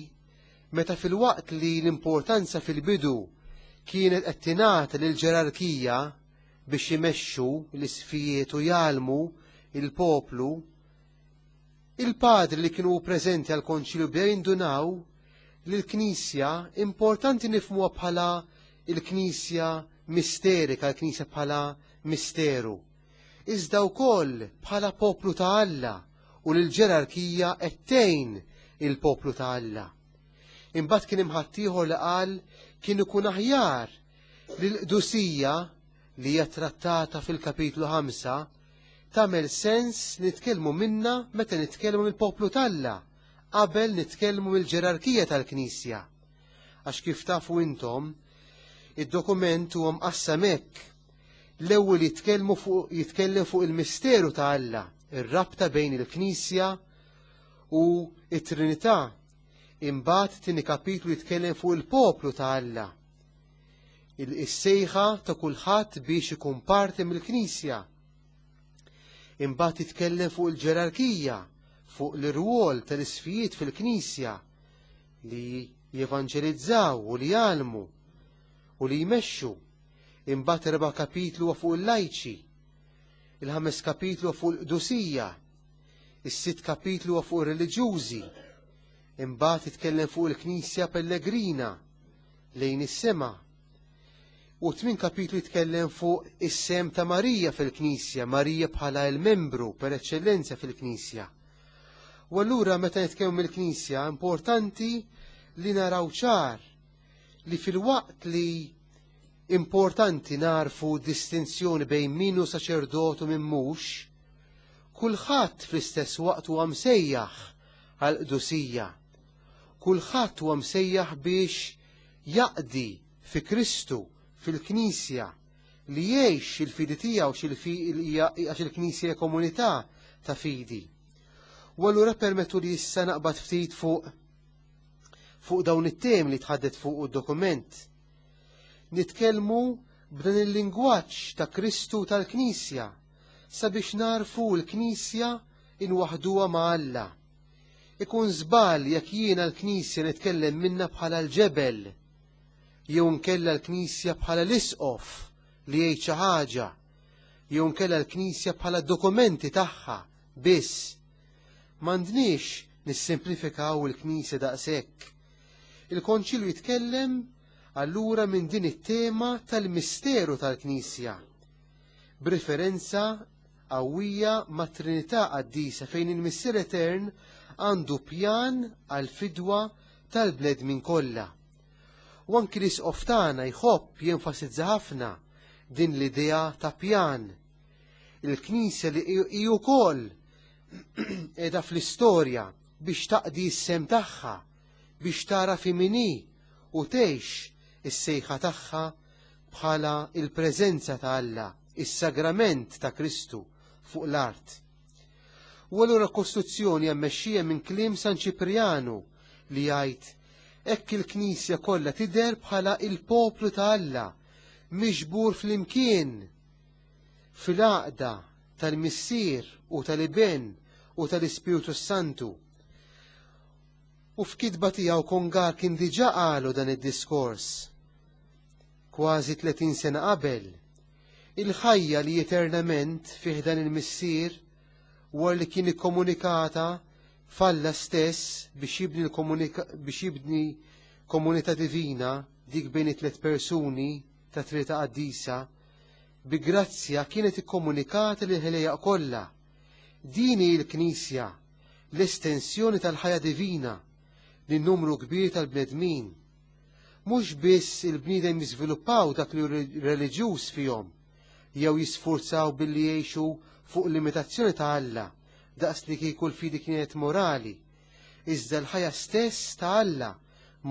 meta fil-waqt li l-importanza fil-bidu kienet qed tingħata lill-ġerarkija biex imexxu l-isfijiet u jgħallmu il-poplu, il-padri li kienu preżenti għal-konċilju bdew jindunaw li l-Knisja importanti nifhmuha bħala il-Knisja misterika, l-Knisja bħala misteru, iżda wkoll bħala poplu ta' Alla, u l-ġerarkija qed tgħin il-poplu ta' Alla. Imbagħad kien hemm ħaddieħor li qal kien ikun aħjar li l-qdusija li hija trattata fil-kapitlu ħamsa tagħmel sens nitkellmu minna meta nitkellmu mill-poplu t'Alla qabel nitkellmu mill-ġerarkija tal-Knisja. Għax kif tafu intom, id-dokument huwa mqassam hekk. L-ewwel jitkellmu fuq jitkellem fuq il-misteru ta' Alla, ir-rabta bejn il-Knisja u it-Trinità. Imbagħad tieni kapitlu jitkellem fuq il-poplu ta' Alla. Il-sejħa ta' kulħadd biex ikun parti mill-Knisja. Imbagħad jitkellem fuq il-ġerarkija, fuq l-irwol tal-isfijiet fil-Knisja li jevanġelizzaw u li jgħallmu u li jmexxu. Imbagħad erba' kapitlu huwa fuq il-lajċi, il-ħames kapitlu huwa fuq il-qdusija, is-sitt kapitlu huwa fuq ir-reliġjużi. Imbagħad jitkellem fuq il-Knisja Pellegrina lejn is-sema. U tmien kapitlu jitkellem fuq is-sem ta' Marija fil-Knisja, Marija bħala l-membru per eċċellenza fil-Knisja. U allura meta nitkellmu mill-Knisja importanti li naraw ċar li fil-waqt li importanti narfu distinzjoni bejn min hu saċerdot u min mhux, kulħadd fl-istess waqt huwa msejjaħ għall-qdusija. Kulħadd huwa msejjaħ biex jaqdi fi Kristu fil-Knisja, li jgħix il-fidi tiegħu għax il-Knisja hija komunità ta' fidi. U allura permettu li issa naqbad ftit fuq fuq dawn it-temi li tħaddet fuq id-dokument. Nitkellmu b'dan il-lingwaġġ ta' Kristu tal-Knisja sabiex narfu l-Knisja inwaħduha ma' Alla. Ikun żball jekk jiena l-Knisja nitkellem minna bħala l-ġebel, jew nkella l-Knisja bħala l-isqof li jgħid xi ħaġa, jew nkella l-Knisja bħala dokumenti tagħha biss. M'għandniex nissimplifikaw il-Knisja daqshekk. Il-Konċilju jitkellem allura minn din it-tema tal-misteru tal-Knisja, b'referenza qawwija mat Trinità Qaddisa fejn il-Missier Etern għandu pjan għal-fidwa tal-bnedmin kollha. U anki l-isqof tagħna jħobb jenfasizza ħafna din l-idea ta' pjan. Il-Knisja li hi wkoll qiegħda fl-istorja biex taqdi s-sem tagħha, biex tara fi min hi u tgħix is-sejħa tagħha bħala il-preżenza ta' Alla, is-sagrament ta' Kristu fuq l-art. U allura kostituzzjoni hija mmexxija minn kliem San Ċiprianu li jgħid hekk il-Knisja kollha tidher bħala il-poplu ta' Alla miġbur flimkien fil-għaqda tal-Missier u tal-Iben u tal-Ispirtu Santu. U f'kitba tiegħu Kongar kien diġà qalu dan id-diskors kważi tletin sena qabel. Il-ħajja li eternament fih dan il-Missier wara li kien ikkomunikata falla stess biex jibni biex jibni komunità divina dik bejn it-tliet persuni ta' Trinità Qaddisa, bi grazzja kienet ikkomunikata lil ħelejja kollha. Din hi l-Knisja, l-estensjoni tal-ħajja divina lin numru kbir tal-bnedmin. Mhux biss il-bniedem jiżviluppaw dak li reliġjuż fihom, jew jisfurzaw billi jgħixu fuq l-imitazzjoni ta' Alla, daqs li kieku l-fidi kienet morali, iżda l-ħajja stess ta' Alla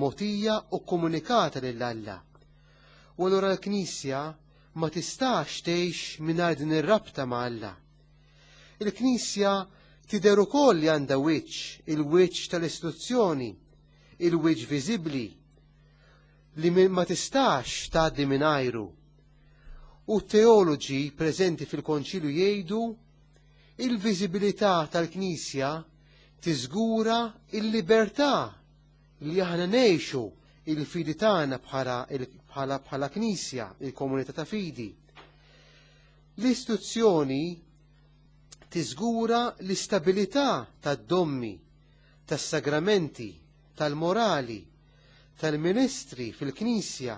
mogħtija u komunikata lil Alla. U allura l-Knisja ma tistax tgħix mingħajr din ir-rabta ma' Alla. Il-Knisja tidher ukoll li għandha wiċċ, il-wiċċ tal-istituzzjoni, il-wiċċ viżibbli, li ma tistax tgħaddi mingħajru. U teoloġi preżenti fil-Konċilju jgħidu il-viżibilità tal-Knisja tiżgura il-libertà li aħna ngħixu il-fidi tagħna bħala bħala bħala Knisja, il-komunità ta' fidi. L-istituzzjoni tiżgura l-istabilità tad-dommi, tas-sagramenti, tal-morali, tal-ministri fil-Knisja,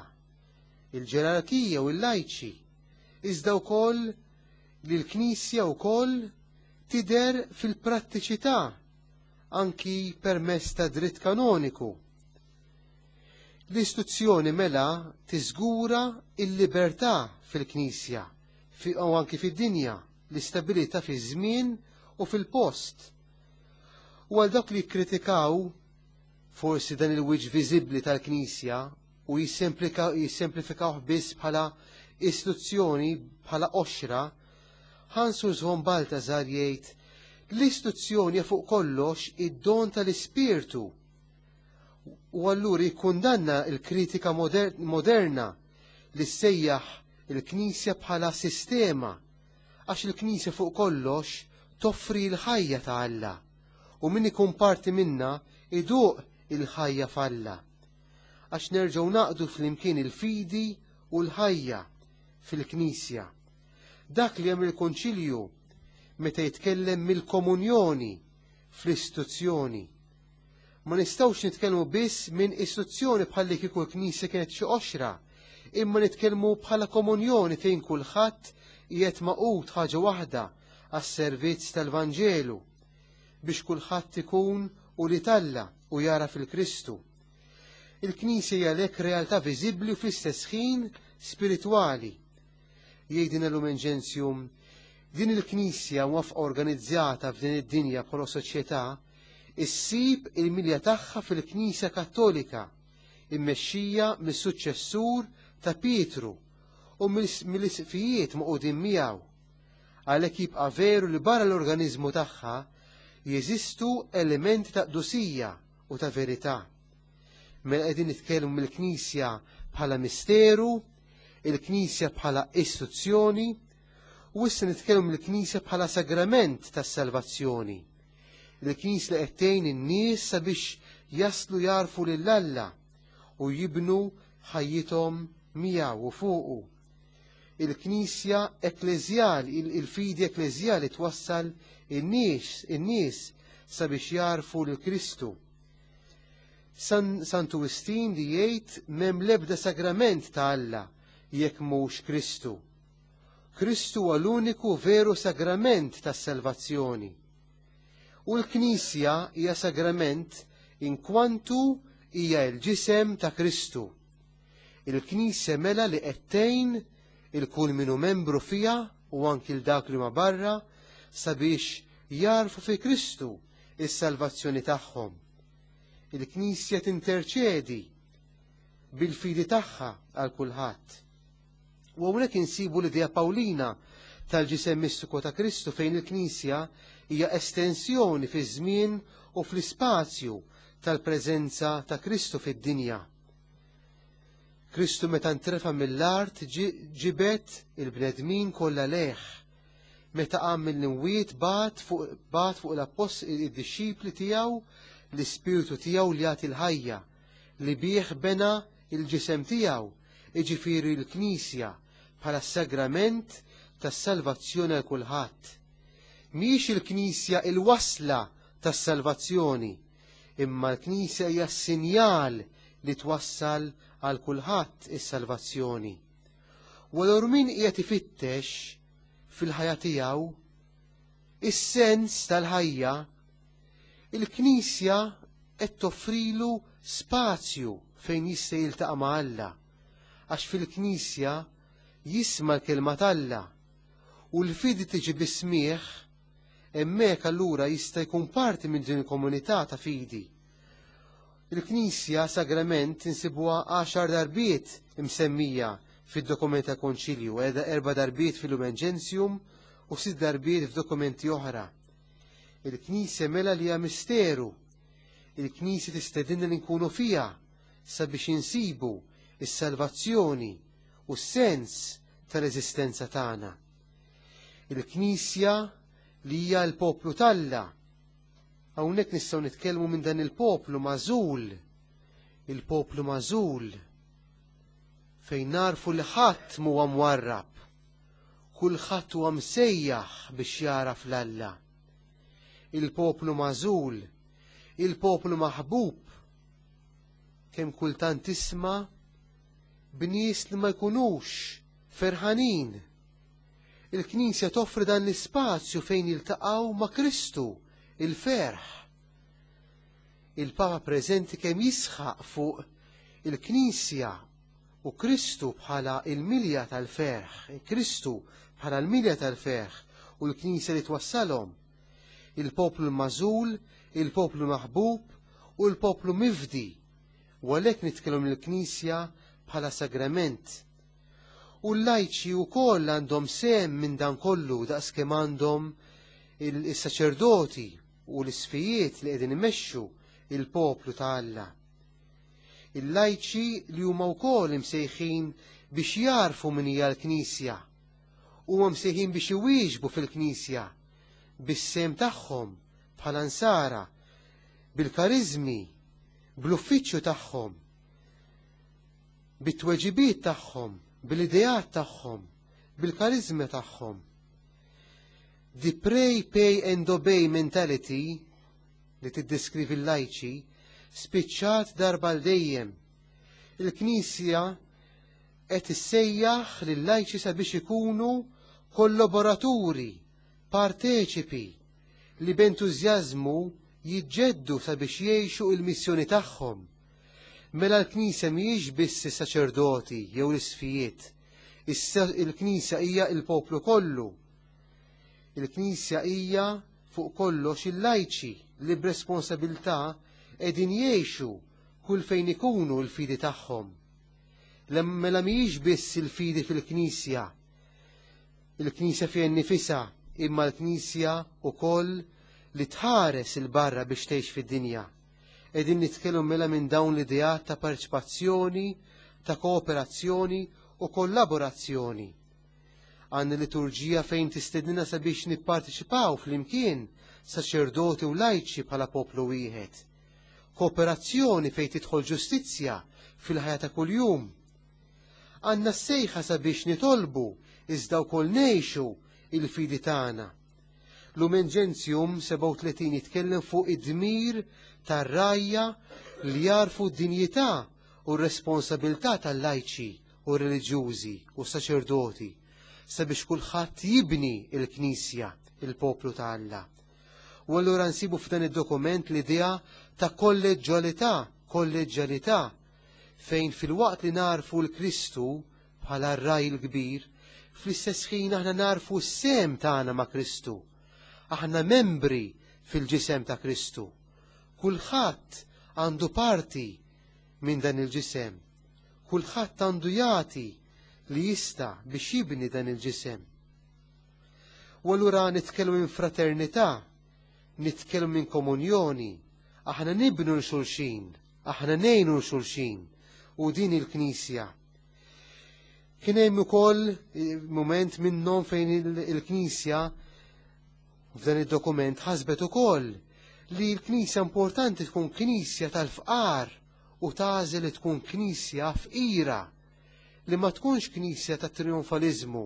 il-ġerarkija u l-lajċi, iżda wkoll li l-Knisja wkoll tidher fil-prattiċità anki permezz ta' dritt kanoniku. L-istituzzjoni mela tiżgura il-libertà fil-Knisja u anki fid-dinja, l-istabilità fiż-żmien u fil-post. U għal dawk li kkritikaw forsi dan il-wiċċ viżibbli tal-Knisja u jissemplifikawh biss bħala istituzzjoni, bħala qoxra, Hans Urs von Balthasar jgħid l-istituzzjoni fuq kollox id-don tal-Ispirtu. U allura jikkundanna l-kritika moderna li ssejjaħ il-Knisja bħala sistema, għax il-Knisja fuq kollox toffri l-ħajja ta' Alla u min ikun parti minna iduq il-ħajja f'Alla. Għax nerġgħu naqdu flimkien il-fidi u l-ħajja fil-Knisja. Dak li hemm il-Konċilju meta jitkellem mill-komunjoni fl-istituzzjoni. Ma nistgħux nitkellmu biss minn istituzzjoni bħalli kieku l-Knisja kienet xi qoxra, imma nitkellmu bħala komunjoni fejn kulħadd qiegħed maqut ħaġa waħda għas-servizz tal-Vanġelu biex kulħadd ikun u li talla u jara fil-Kristu. Il-Knisja hija għalhekk realtà viżibbli u fl-istess ħin spiritwali. Jgħidilna Lumen Gentium, din il-Knisja mwafqa organizzata f'din id-dinja bħala soċjetà issib il-milja tagħha fil-Knisja Kattolika immexxija mis-suċċessur ta' Pietru u mill-isqfijiet maqudin miegħu. Għalhekk jibqa' veru li barra l-organizmu tagħha jeżistu elementi ta' qdusija u ta' verità. Mela qegħdin nitkellmu mill-Knisja bħala misteru, il-Knisja bħala istituzzjoni, u issa nitkellmu mill-Knisja bħala sagrament tas-salvazzjoni. Il-Knisja li qed tgħin in-nies sabiex jaslu jarfu lil Alla u jibnu ħajjithom miegħu u fuqu. Il-Knisja ekkleżjali, il-fidi ekkleżjali twassal in-nies in-nies sabiex jarfu lil Kristu. San, Santu Wistin li jgħid m'hemm l-ebda sagrament ta' Alla jekk mhux Kristu. Kristu huwa l-uniku veru sagrament tas-salvazzjoni. U l-Knisja hija sagrament inkwantu hija l-ġisem ta' Kristu. Il-Knisja mela li qed tgħin il-kull minu membru fiha u anki l dak li ma barra sabiex jarfu fi Kristu is-salvazzjoni tagħhom. Il-Knisja tinterċedi bil-fidi tagħha għal kulħadd. U hawnhekk insibu l-idea Pawlina tal-ġisem mistiku ta' Kristu fejn il-Knisja hija estensjoni fiż-żmien u fl-ispazju tal-preżenza ta' Kristu fid-dinja. Kristu meta ntrefa mill-art ġibet il-bnedmin kollha lejh. Meta qam mill-imwiet bat fuq bat fuq l-appostli id-dixxipli tiegħu l-ispirtu tiegħu li jagħti l-ħajja li bih bena il-ġisem tiegħu, jiġifieri l-Knisja bħala sagrament tas-salvazzjoni għal kulħadd. Mhijiex il-Knisja il-wasla tas-salvazzjoni, imma l-Knisja hija s-sinjal li twassal għal kulħadd is-salvazzjoni. U allura min qiegħed ifittex fil-ħajja tiegħu is-sens tal-ħajja, il-Knisja qed toffrilu spazju fejn jista' jiltaqa' ma' Alla, għax fil-Knisja jisma' l-kelma t'Alla u l-fidi tiġi bis-smigħ, hemmhekk allura jista' jkun parti minn din il-komunità ta' fidi. Il-Knisja sagrament insibuha għaxar darbiet imsemmija fid-dokument ta' Konċilju, erba' darbiet fil-Lumen Gentium u sitt darbiet f'dokumenti oħra. Il-Knisja mela li hija misteru. Il-Knisja tistedinna li nkunu fiha sabiex insibu is-salvazzjoni u s-sens tal-eżistenza tagħna. Il-Knisja li hija l-poplu t'Alla. Hawnhekk nistgħu nitkellmu minn dan il-poplu magħżul, il-poplu magħżul fejn narfu li ħadd m'huwa mwarrab, kulħadd huwa msejjaħ biex jaraf l-Alla. Il-poplu magħżul, il-poplu maħbub, kemm kultant tisma' b'nies li ma jkunux ferħanin. Il-Knisja toffri dan l-ispazju fejn jiltaqgħu ma' Kristu, il-ferħ. Il-Papa preżenti kemm jisħaq fuq il-Knisja u Kristu bħala il-milja tal-ferħ, Kristu bħala l-milja tal-ferħ u l-Knisja li twassalhom. Il-poplu magħżul, il-poplu maħbub u l-poplu mifdi, u għalhekk nitkellmu l-Knisja bħala sagrament. U l-lajċi wkoll għandhom sehem minn dan kollu daqskemm għandhom il-saċerdoti u l-isfijiet li qegħdin imexxu il-poplu ta' Alla. Il-lajċi li huma wkoll imsejħin biex jarfu min hija l-Knisja, huma msejħin biex iwieġbu fil-Knisja bis-sem tagħhom bħala nsara, bil-karizmi, bl-uffiċċju tagħhom, bit-tweġibiet tagħhom, bil-ideat tagħhom, bil-karizmi tagħhom. The pray, pay and obey mentality li tiddeskrivi l-lajċi spiċċat darba l dejjem. Il-Knisja qed issejjaħ lil-lajċi sabiex ikunu kollaboraturi, parteċipi li b'entużjażmu jiġġeddu sabiex jgħixu il-missjoni tagħhom. Mela l-Knisja mhijiex biss is-saċerdoti jew l-isfijiet. Il-Knisja hija il-poplu kollu. Il-Knisja hija fuq kollox il-lajċi li b'responsabilità qegħdin jgħixu kull fejn ikunu l-fidi tagħhom. Mela mhijiex biss il-fidi fil-Knisja, il-Knisja fiha nnifisha, imma l-Knisja wkoll li tħares il-barra biex tgħix fid-dinja. Qegħdin nitkellmu mela minn dawn l-ideat ta' parteċipazzjoni, ta' kooperazzjoni u kollaborazzjoni. Għandna liturġija fejn tistednina sabiex nipparteċipaw flimkien saċerdoti u lajċi bħala poplu wieħed. Kooperazzjoni fejn tidħol ġustizzja fil-ħajja ta' kuljum. Għandna s-sejħa sabiex nitolbu iżda wkoll ngħixu il-fidi tagħna. Lumen Gentium sebgħa u tletin jitkellem fuq id-dmir tar-rajja li jarfu d-dinjità u r-responsabilità tal-lajċi u reliġjużi u saċerdoti sabiex kulħadd jibni il-Knisja, il-poplu ta' Alla. U allura nsibu f'dan id-dokument l-idea ta' kolleġġjalità, kolleġġjalità, fejn fil-waqt li narfu l-Kristu bħala r-raj il-kbir, fl-istess ħin aħna narfu s-sem tagħna ma' Kristu. Aħna membri fil-ġisem ta' Kristu. Kulħadd għandu parti minn dan il-ġisem. Kulħadd għandu jagħti li jista' biex jibni dan il-ġisem. U allura nitkellmu minn fraternità, nitkellmu minn komunjoni, aħna nibnu l-xulxin, aħna ngħinu l-xulxin, u din il-Knisja. Kien hemm ukoll mument minnhom fejn il-Knisja f'dan id-dokument ħasbet ukoll li l-Knisja importanti tkun Knisja tal-fqar u tagħżel li tkun Knisja fqira, li ma tkunx Knisja ta' trionfaliżmu,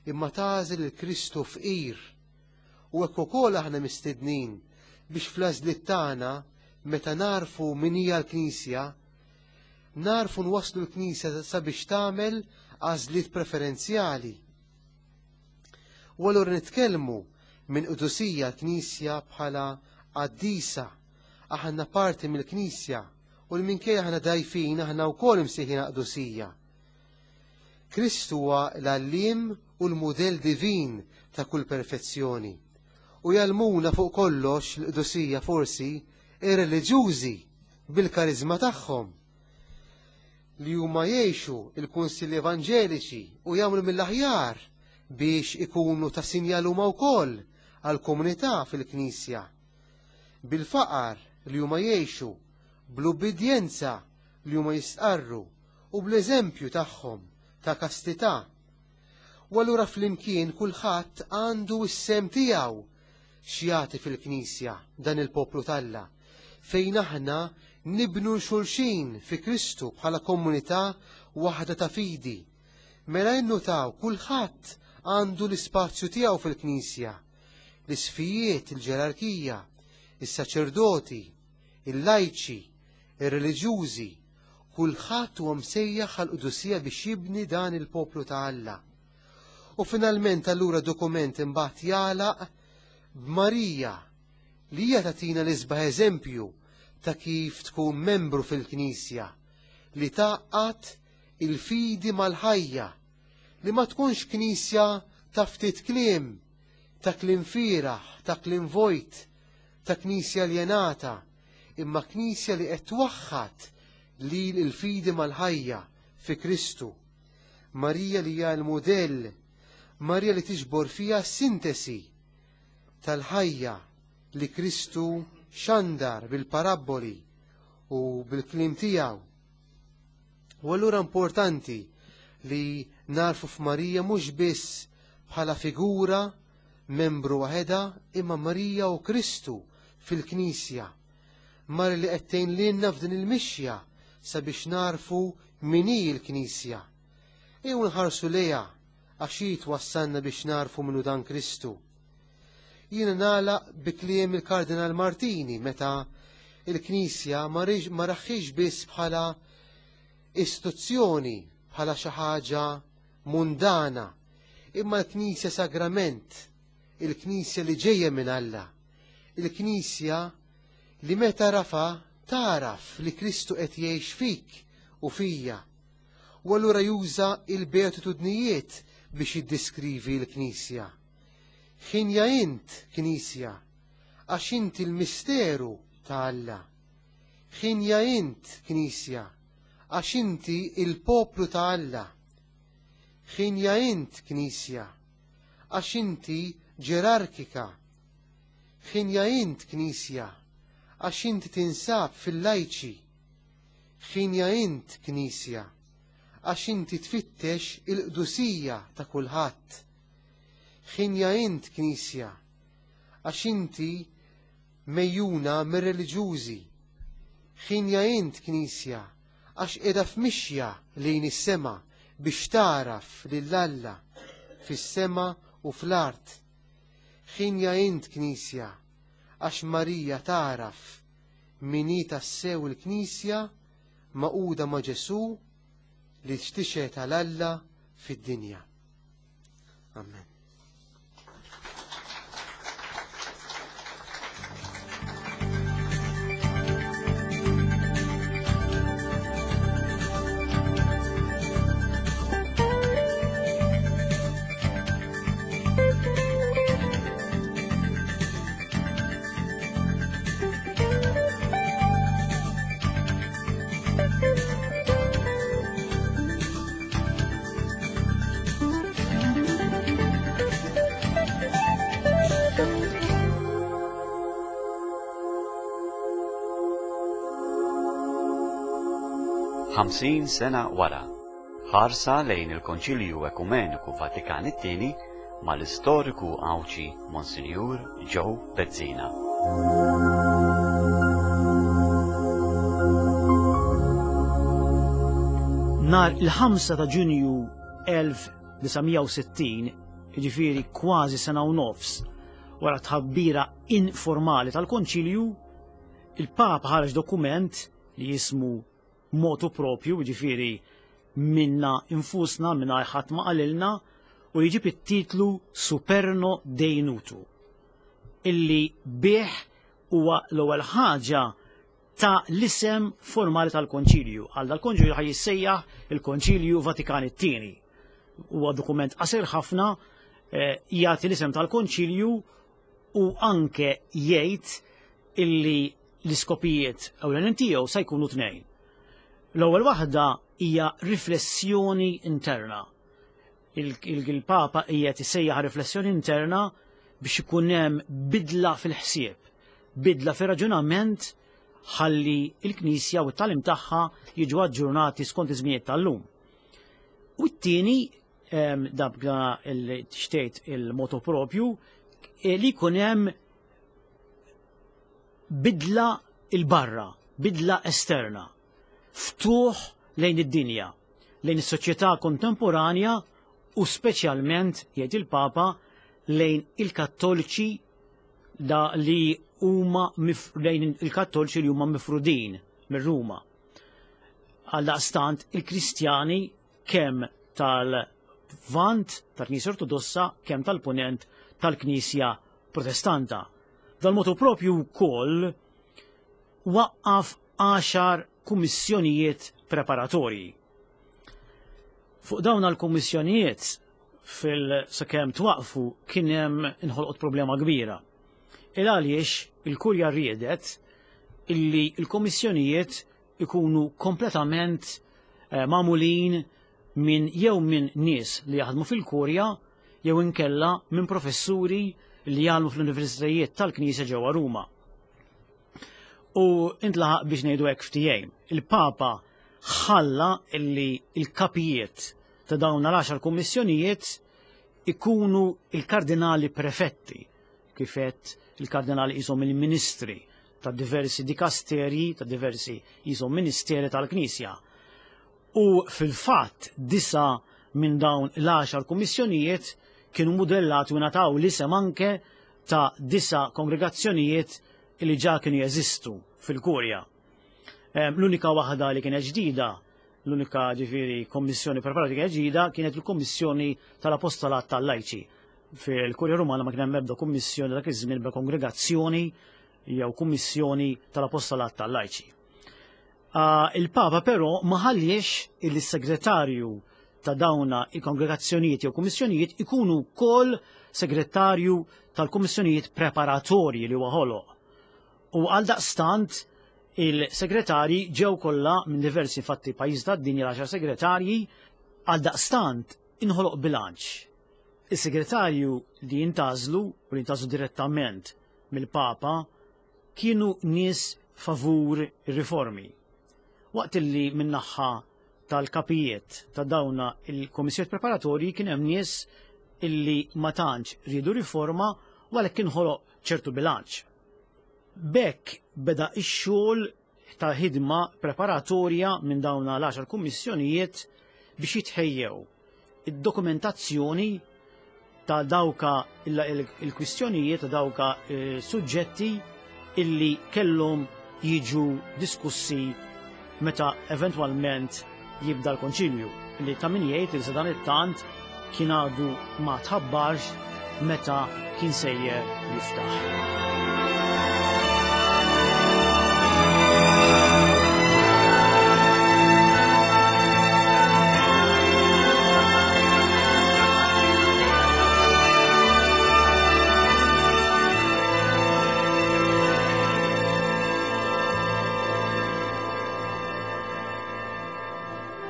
imma tagħżel il-Kristu fqir. U hekk ukoll aħna mistednin biex fl-għażliet tagħna meta narfu min hija l-Knisja, narfu nwasslu l-Knisja sabiex tagħmel għażliet preferenzjali. U allura nitkellmu minn qdusija l-Knisja bħala qaddisa, aħna parti mill-Knisja u l-minkejja aħna dajfin aħna wkoll imsejħin qdusija. Kristu huwa l-għalliem u l-mudell divin ta' kull perfezzjoni. U jgħallmuna fuq kollox l-qdusija forsi ir-reliġjużi bil-karizma tagħhom li huma jgħixu il-kunsilli evanġeliċi u jagħmlu mill-aħjar biex ikunu ta' sinjal huma wkoll għall-komunità fil-Knisja. Bil-faqar li huma jgħixu, bl-ubbidjenza li huma jistqarru u bl-eżempju tagħhom ta' kastità. U allura flimkien kulħadd għandu s-sem tiegħu x'jagħti fil-Knisja dan il-poplu t'Alla, fejn aħna nibnu l-xulxin fi Kristu bħala komunità waħda ta' fidi. Mela innutaw kulħadd għandu l-ispazju tiegħu fil-Knisja, l-isfijiet, il-ġerarkija, is-saċerdoti, il-lajċi, ir-reliġjużi, kulħadd huwa msejjaħ għall-qdusija biex jibni dan il-poplu ta' Alla. U finalment allura dokument imbagħad jagħlaq b'Marija li hija tagħtina l-isbaħ eżempju ta' kif tkun membru fil-Knisja, li tgħaqqad il-fidi mal-ħajja, li ma tkunx Knisja ta' ftit kliem, ta' kliem fieraħ, ta' kliem vojt, ta' Knisja aljenata, imma Knisja li qed twaħħad lil il-fidi mal-ħajja fi Kristu. Marija li hija l-mudell, Marija li tiġbor fiha sintesi tal-ħajja li Kristu xandar bil-parabboli u bil-kliem tiegħu. U allura importanti li narfu f'Marija mhux biss bħala figura membru waħedha, imma Marija u Kristu fil-Knisja. Marija li qed tgħin lilna f'din il-mixja sabiex narfu min hi l-Knisja. Ejjew nħarsu lejha għax hi twassalna biex narfu minnu dan Kristu. Jiena nagħlaq bi kliem il-Kardinal Martini meta il-Knisja ma raħħiex biss bħala istituzzjoni, bħala xi ħaġa mundana, imma l-Knisja sagrament, il-Knisja li ġejja minn Alla, il-Knisja li meta rafa taraf li Kristu qed jgħix fik u fija. U allura juża il-beatitudnijiet biex jiddiskrivi l-Knisja. Ħinja int, Knisja, għax inti l-misteru ta' Alla. Ħinja int, Knisja, għax inti il-poplu ta' Alla. Ħinja int, Knisja, għax inti ġerarkika. Ħinja int, Knisja, għax inti tinsab fil-lajċi. Ħinja int, Knisja, għax inti tfittex il-qdusija ta' kulħadd. Ħinja int, Knisja, għax inti mejjuna mir-reliġjużi. Ħinja int, Knisja, għax qiegħda f'mixja lejn is-sema biex taraf lil Alla fis-sema u fl-art. Ħinja int, Knisja, għax Marija taraf min hi tassew il-Knisja maquda ma' Ġesù li tixtieq għal Alla fid-dinja. Amen. Ħamsin sena wara, ħarsa lejn il-Konċilju Ekumeniku Vatikan it-tieni mal-istoriku Għawdxi Monsinjur Joe Bezzina. Nar il-ħamsa ta' Ġunju elf disa' mija u sittin, jiġifieri kważi sena u nofs wara tħabbira informali tal-Konċilju, il-Papa ħareġ dokument li jismu motu propju, jiġifieri minna infusna, minna ħadd ma qalilna, u jġib it-titlu Superno Dei Nutu, illi bih huwa l-ewwel ħaġa ta' l-isem formali tal-Konċilju. Għal dal-Konċilju ħaj jissejjaħ il-Konċilju Vatikan it-tieni. Huwa dokument qasir ħafna, eh, jagħti l-isem tal-Konċilju u anke jgħid illi l-iskopijiet ewlenin tiegħu se jkunu tnejn. L-ewwel waħda hija riflessjoni interna. Il-Papa qiegħed isejjaħ riflessjoni interna biex ikun hemm bidla fil-ħsieb, bidla fir-raġunament ħalli l-Knisja u t-tagħlim tagħha jiġu aġġornati skont iż-żminijiet tal-lum. U t-tieni, dabga il-tixtejt il-moto propju, li jkun hemm bidla il-barra, bidla esterna, ftuħ lejn id-dinja, lejn is-soċjetà kontemporanja u speċjalment, jgħid il-Papa, lejn il-Kattoliċi da li huma lejn il-Kattoliċi li huma mifrudin minn Ruma. Għaldaqstant il-Kristjani kemm tal-Vant tal-Knisja Ortodossa kemm tal-Punent tal-Knisja Protestanta. Dal-motu propju wkoll waqqaf għaxar kummissjonijiet preparatorji. Fuq dawn għal-kummissjonijiet fil-sakemm twaqfu kien hemm inħolqot problema kbira. Il għaliex il-kurja riedet illi l-kommissjonijiet ikunu kompletament eh, magħmulin minn jew minn nies li jaħdmu fil-Kurja jew inkella minn professuri li jgħallmu fl-universitajiet tal-Knisja ġewwa Ruma. U intlaħaq biex ngħidu hekk ftehim. Il-Papa ħalla illi il-kapijiet ta' dawn l-għaxar kummissjonijiet ikunu il-kardinali prefetti, kifet il-kardinali jisom il-ministri ta' diversi dikasteri, ta' diversi jisom ministeri tal-Knisja. U fil-fatt disa minn dawn l-għaxar kummissjonijiet kienu modellati u nataw l-isem anke ta' disa kongregazzjonijiet li ġa kienu jeżistu fil-Kurja. L-unika waħda li kienet ġdida, l-unika ġifieri kommissjoni preparata kienet ġdida, kienet il-Kommissjoni tal-Apostolat tal-Lajċi. Fil-Kurja Rumana ma kien hemm ebda kummissjoni dak iż-żmien bla kongregazzjoni jew kummissjoni tal-Apostolat tal-Lajċi. Il-Papa però ma ħalliex il-segretarju ta' dawna il-kongregazzjonijiet jew kummissjonijiet ikunu wkoll segretarju tal-kummissjonijiet preparatorji li huwa ħoloq. U għal daqstant il-segretarji ġew kollha minn diversi fatti pajjiż tad-dinja l-għaxar segretarji, għal daqstant inħoloq bilanċ. Is-segretarju li jintażlu u li jintażlu direttament mill-Papa kienu nies favur ir-riformi. Waqt li min-naħa tal-kapijiet ta' dawna il-komissjoni preparatorji kien hemm nies illi ma tantx riedu riforma u għalhekk inħoloq ċertu bilanċ. B'hekk beda x-xogħol ta' ħidma preparatorja minn dawna l-għaxar kummissjonijiet biex jitħejjew id-dokumentazzjoni ta' dawka il-kwistjonijiet ta' dawka suġġetti illi kellhom jiġu diskussi meta eventwalment jibda l-konċilju, li ta' min jgħid li sa dan it-tant kien għadu ma tħabbarx meta kien sejjer jiftaħ.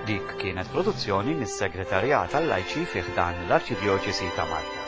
Dik kienet produzzjoni mis-Segretarjat għal-Lajċi fi ħdan l-Arċidjoċesi ta' Malta.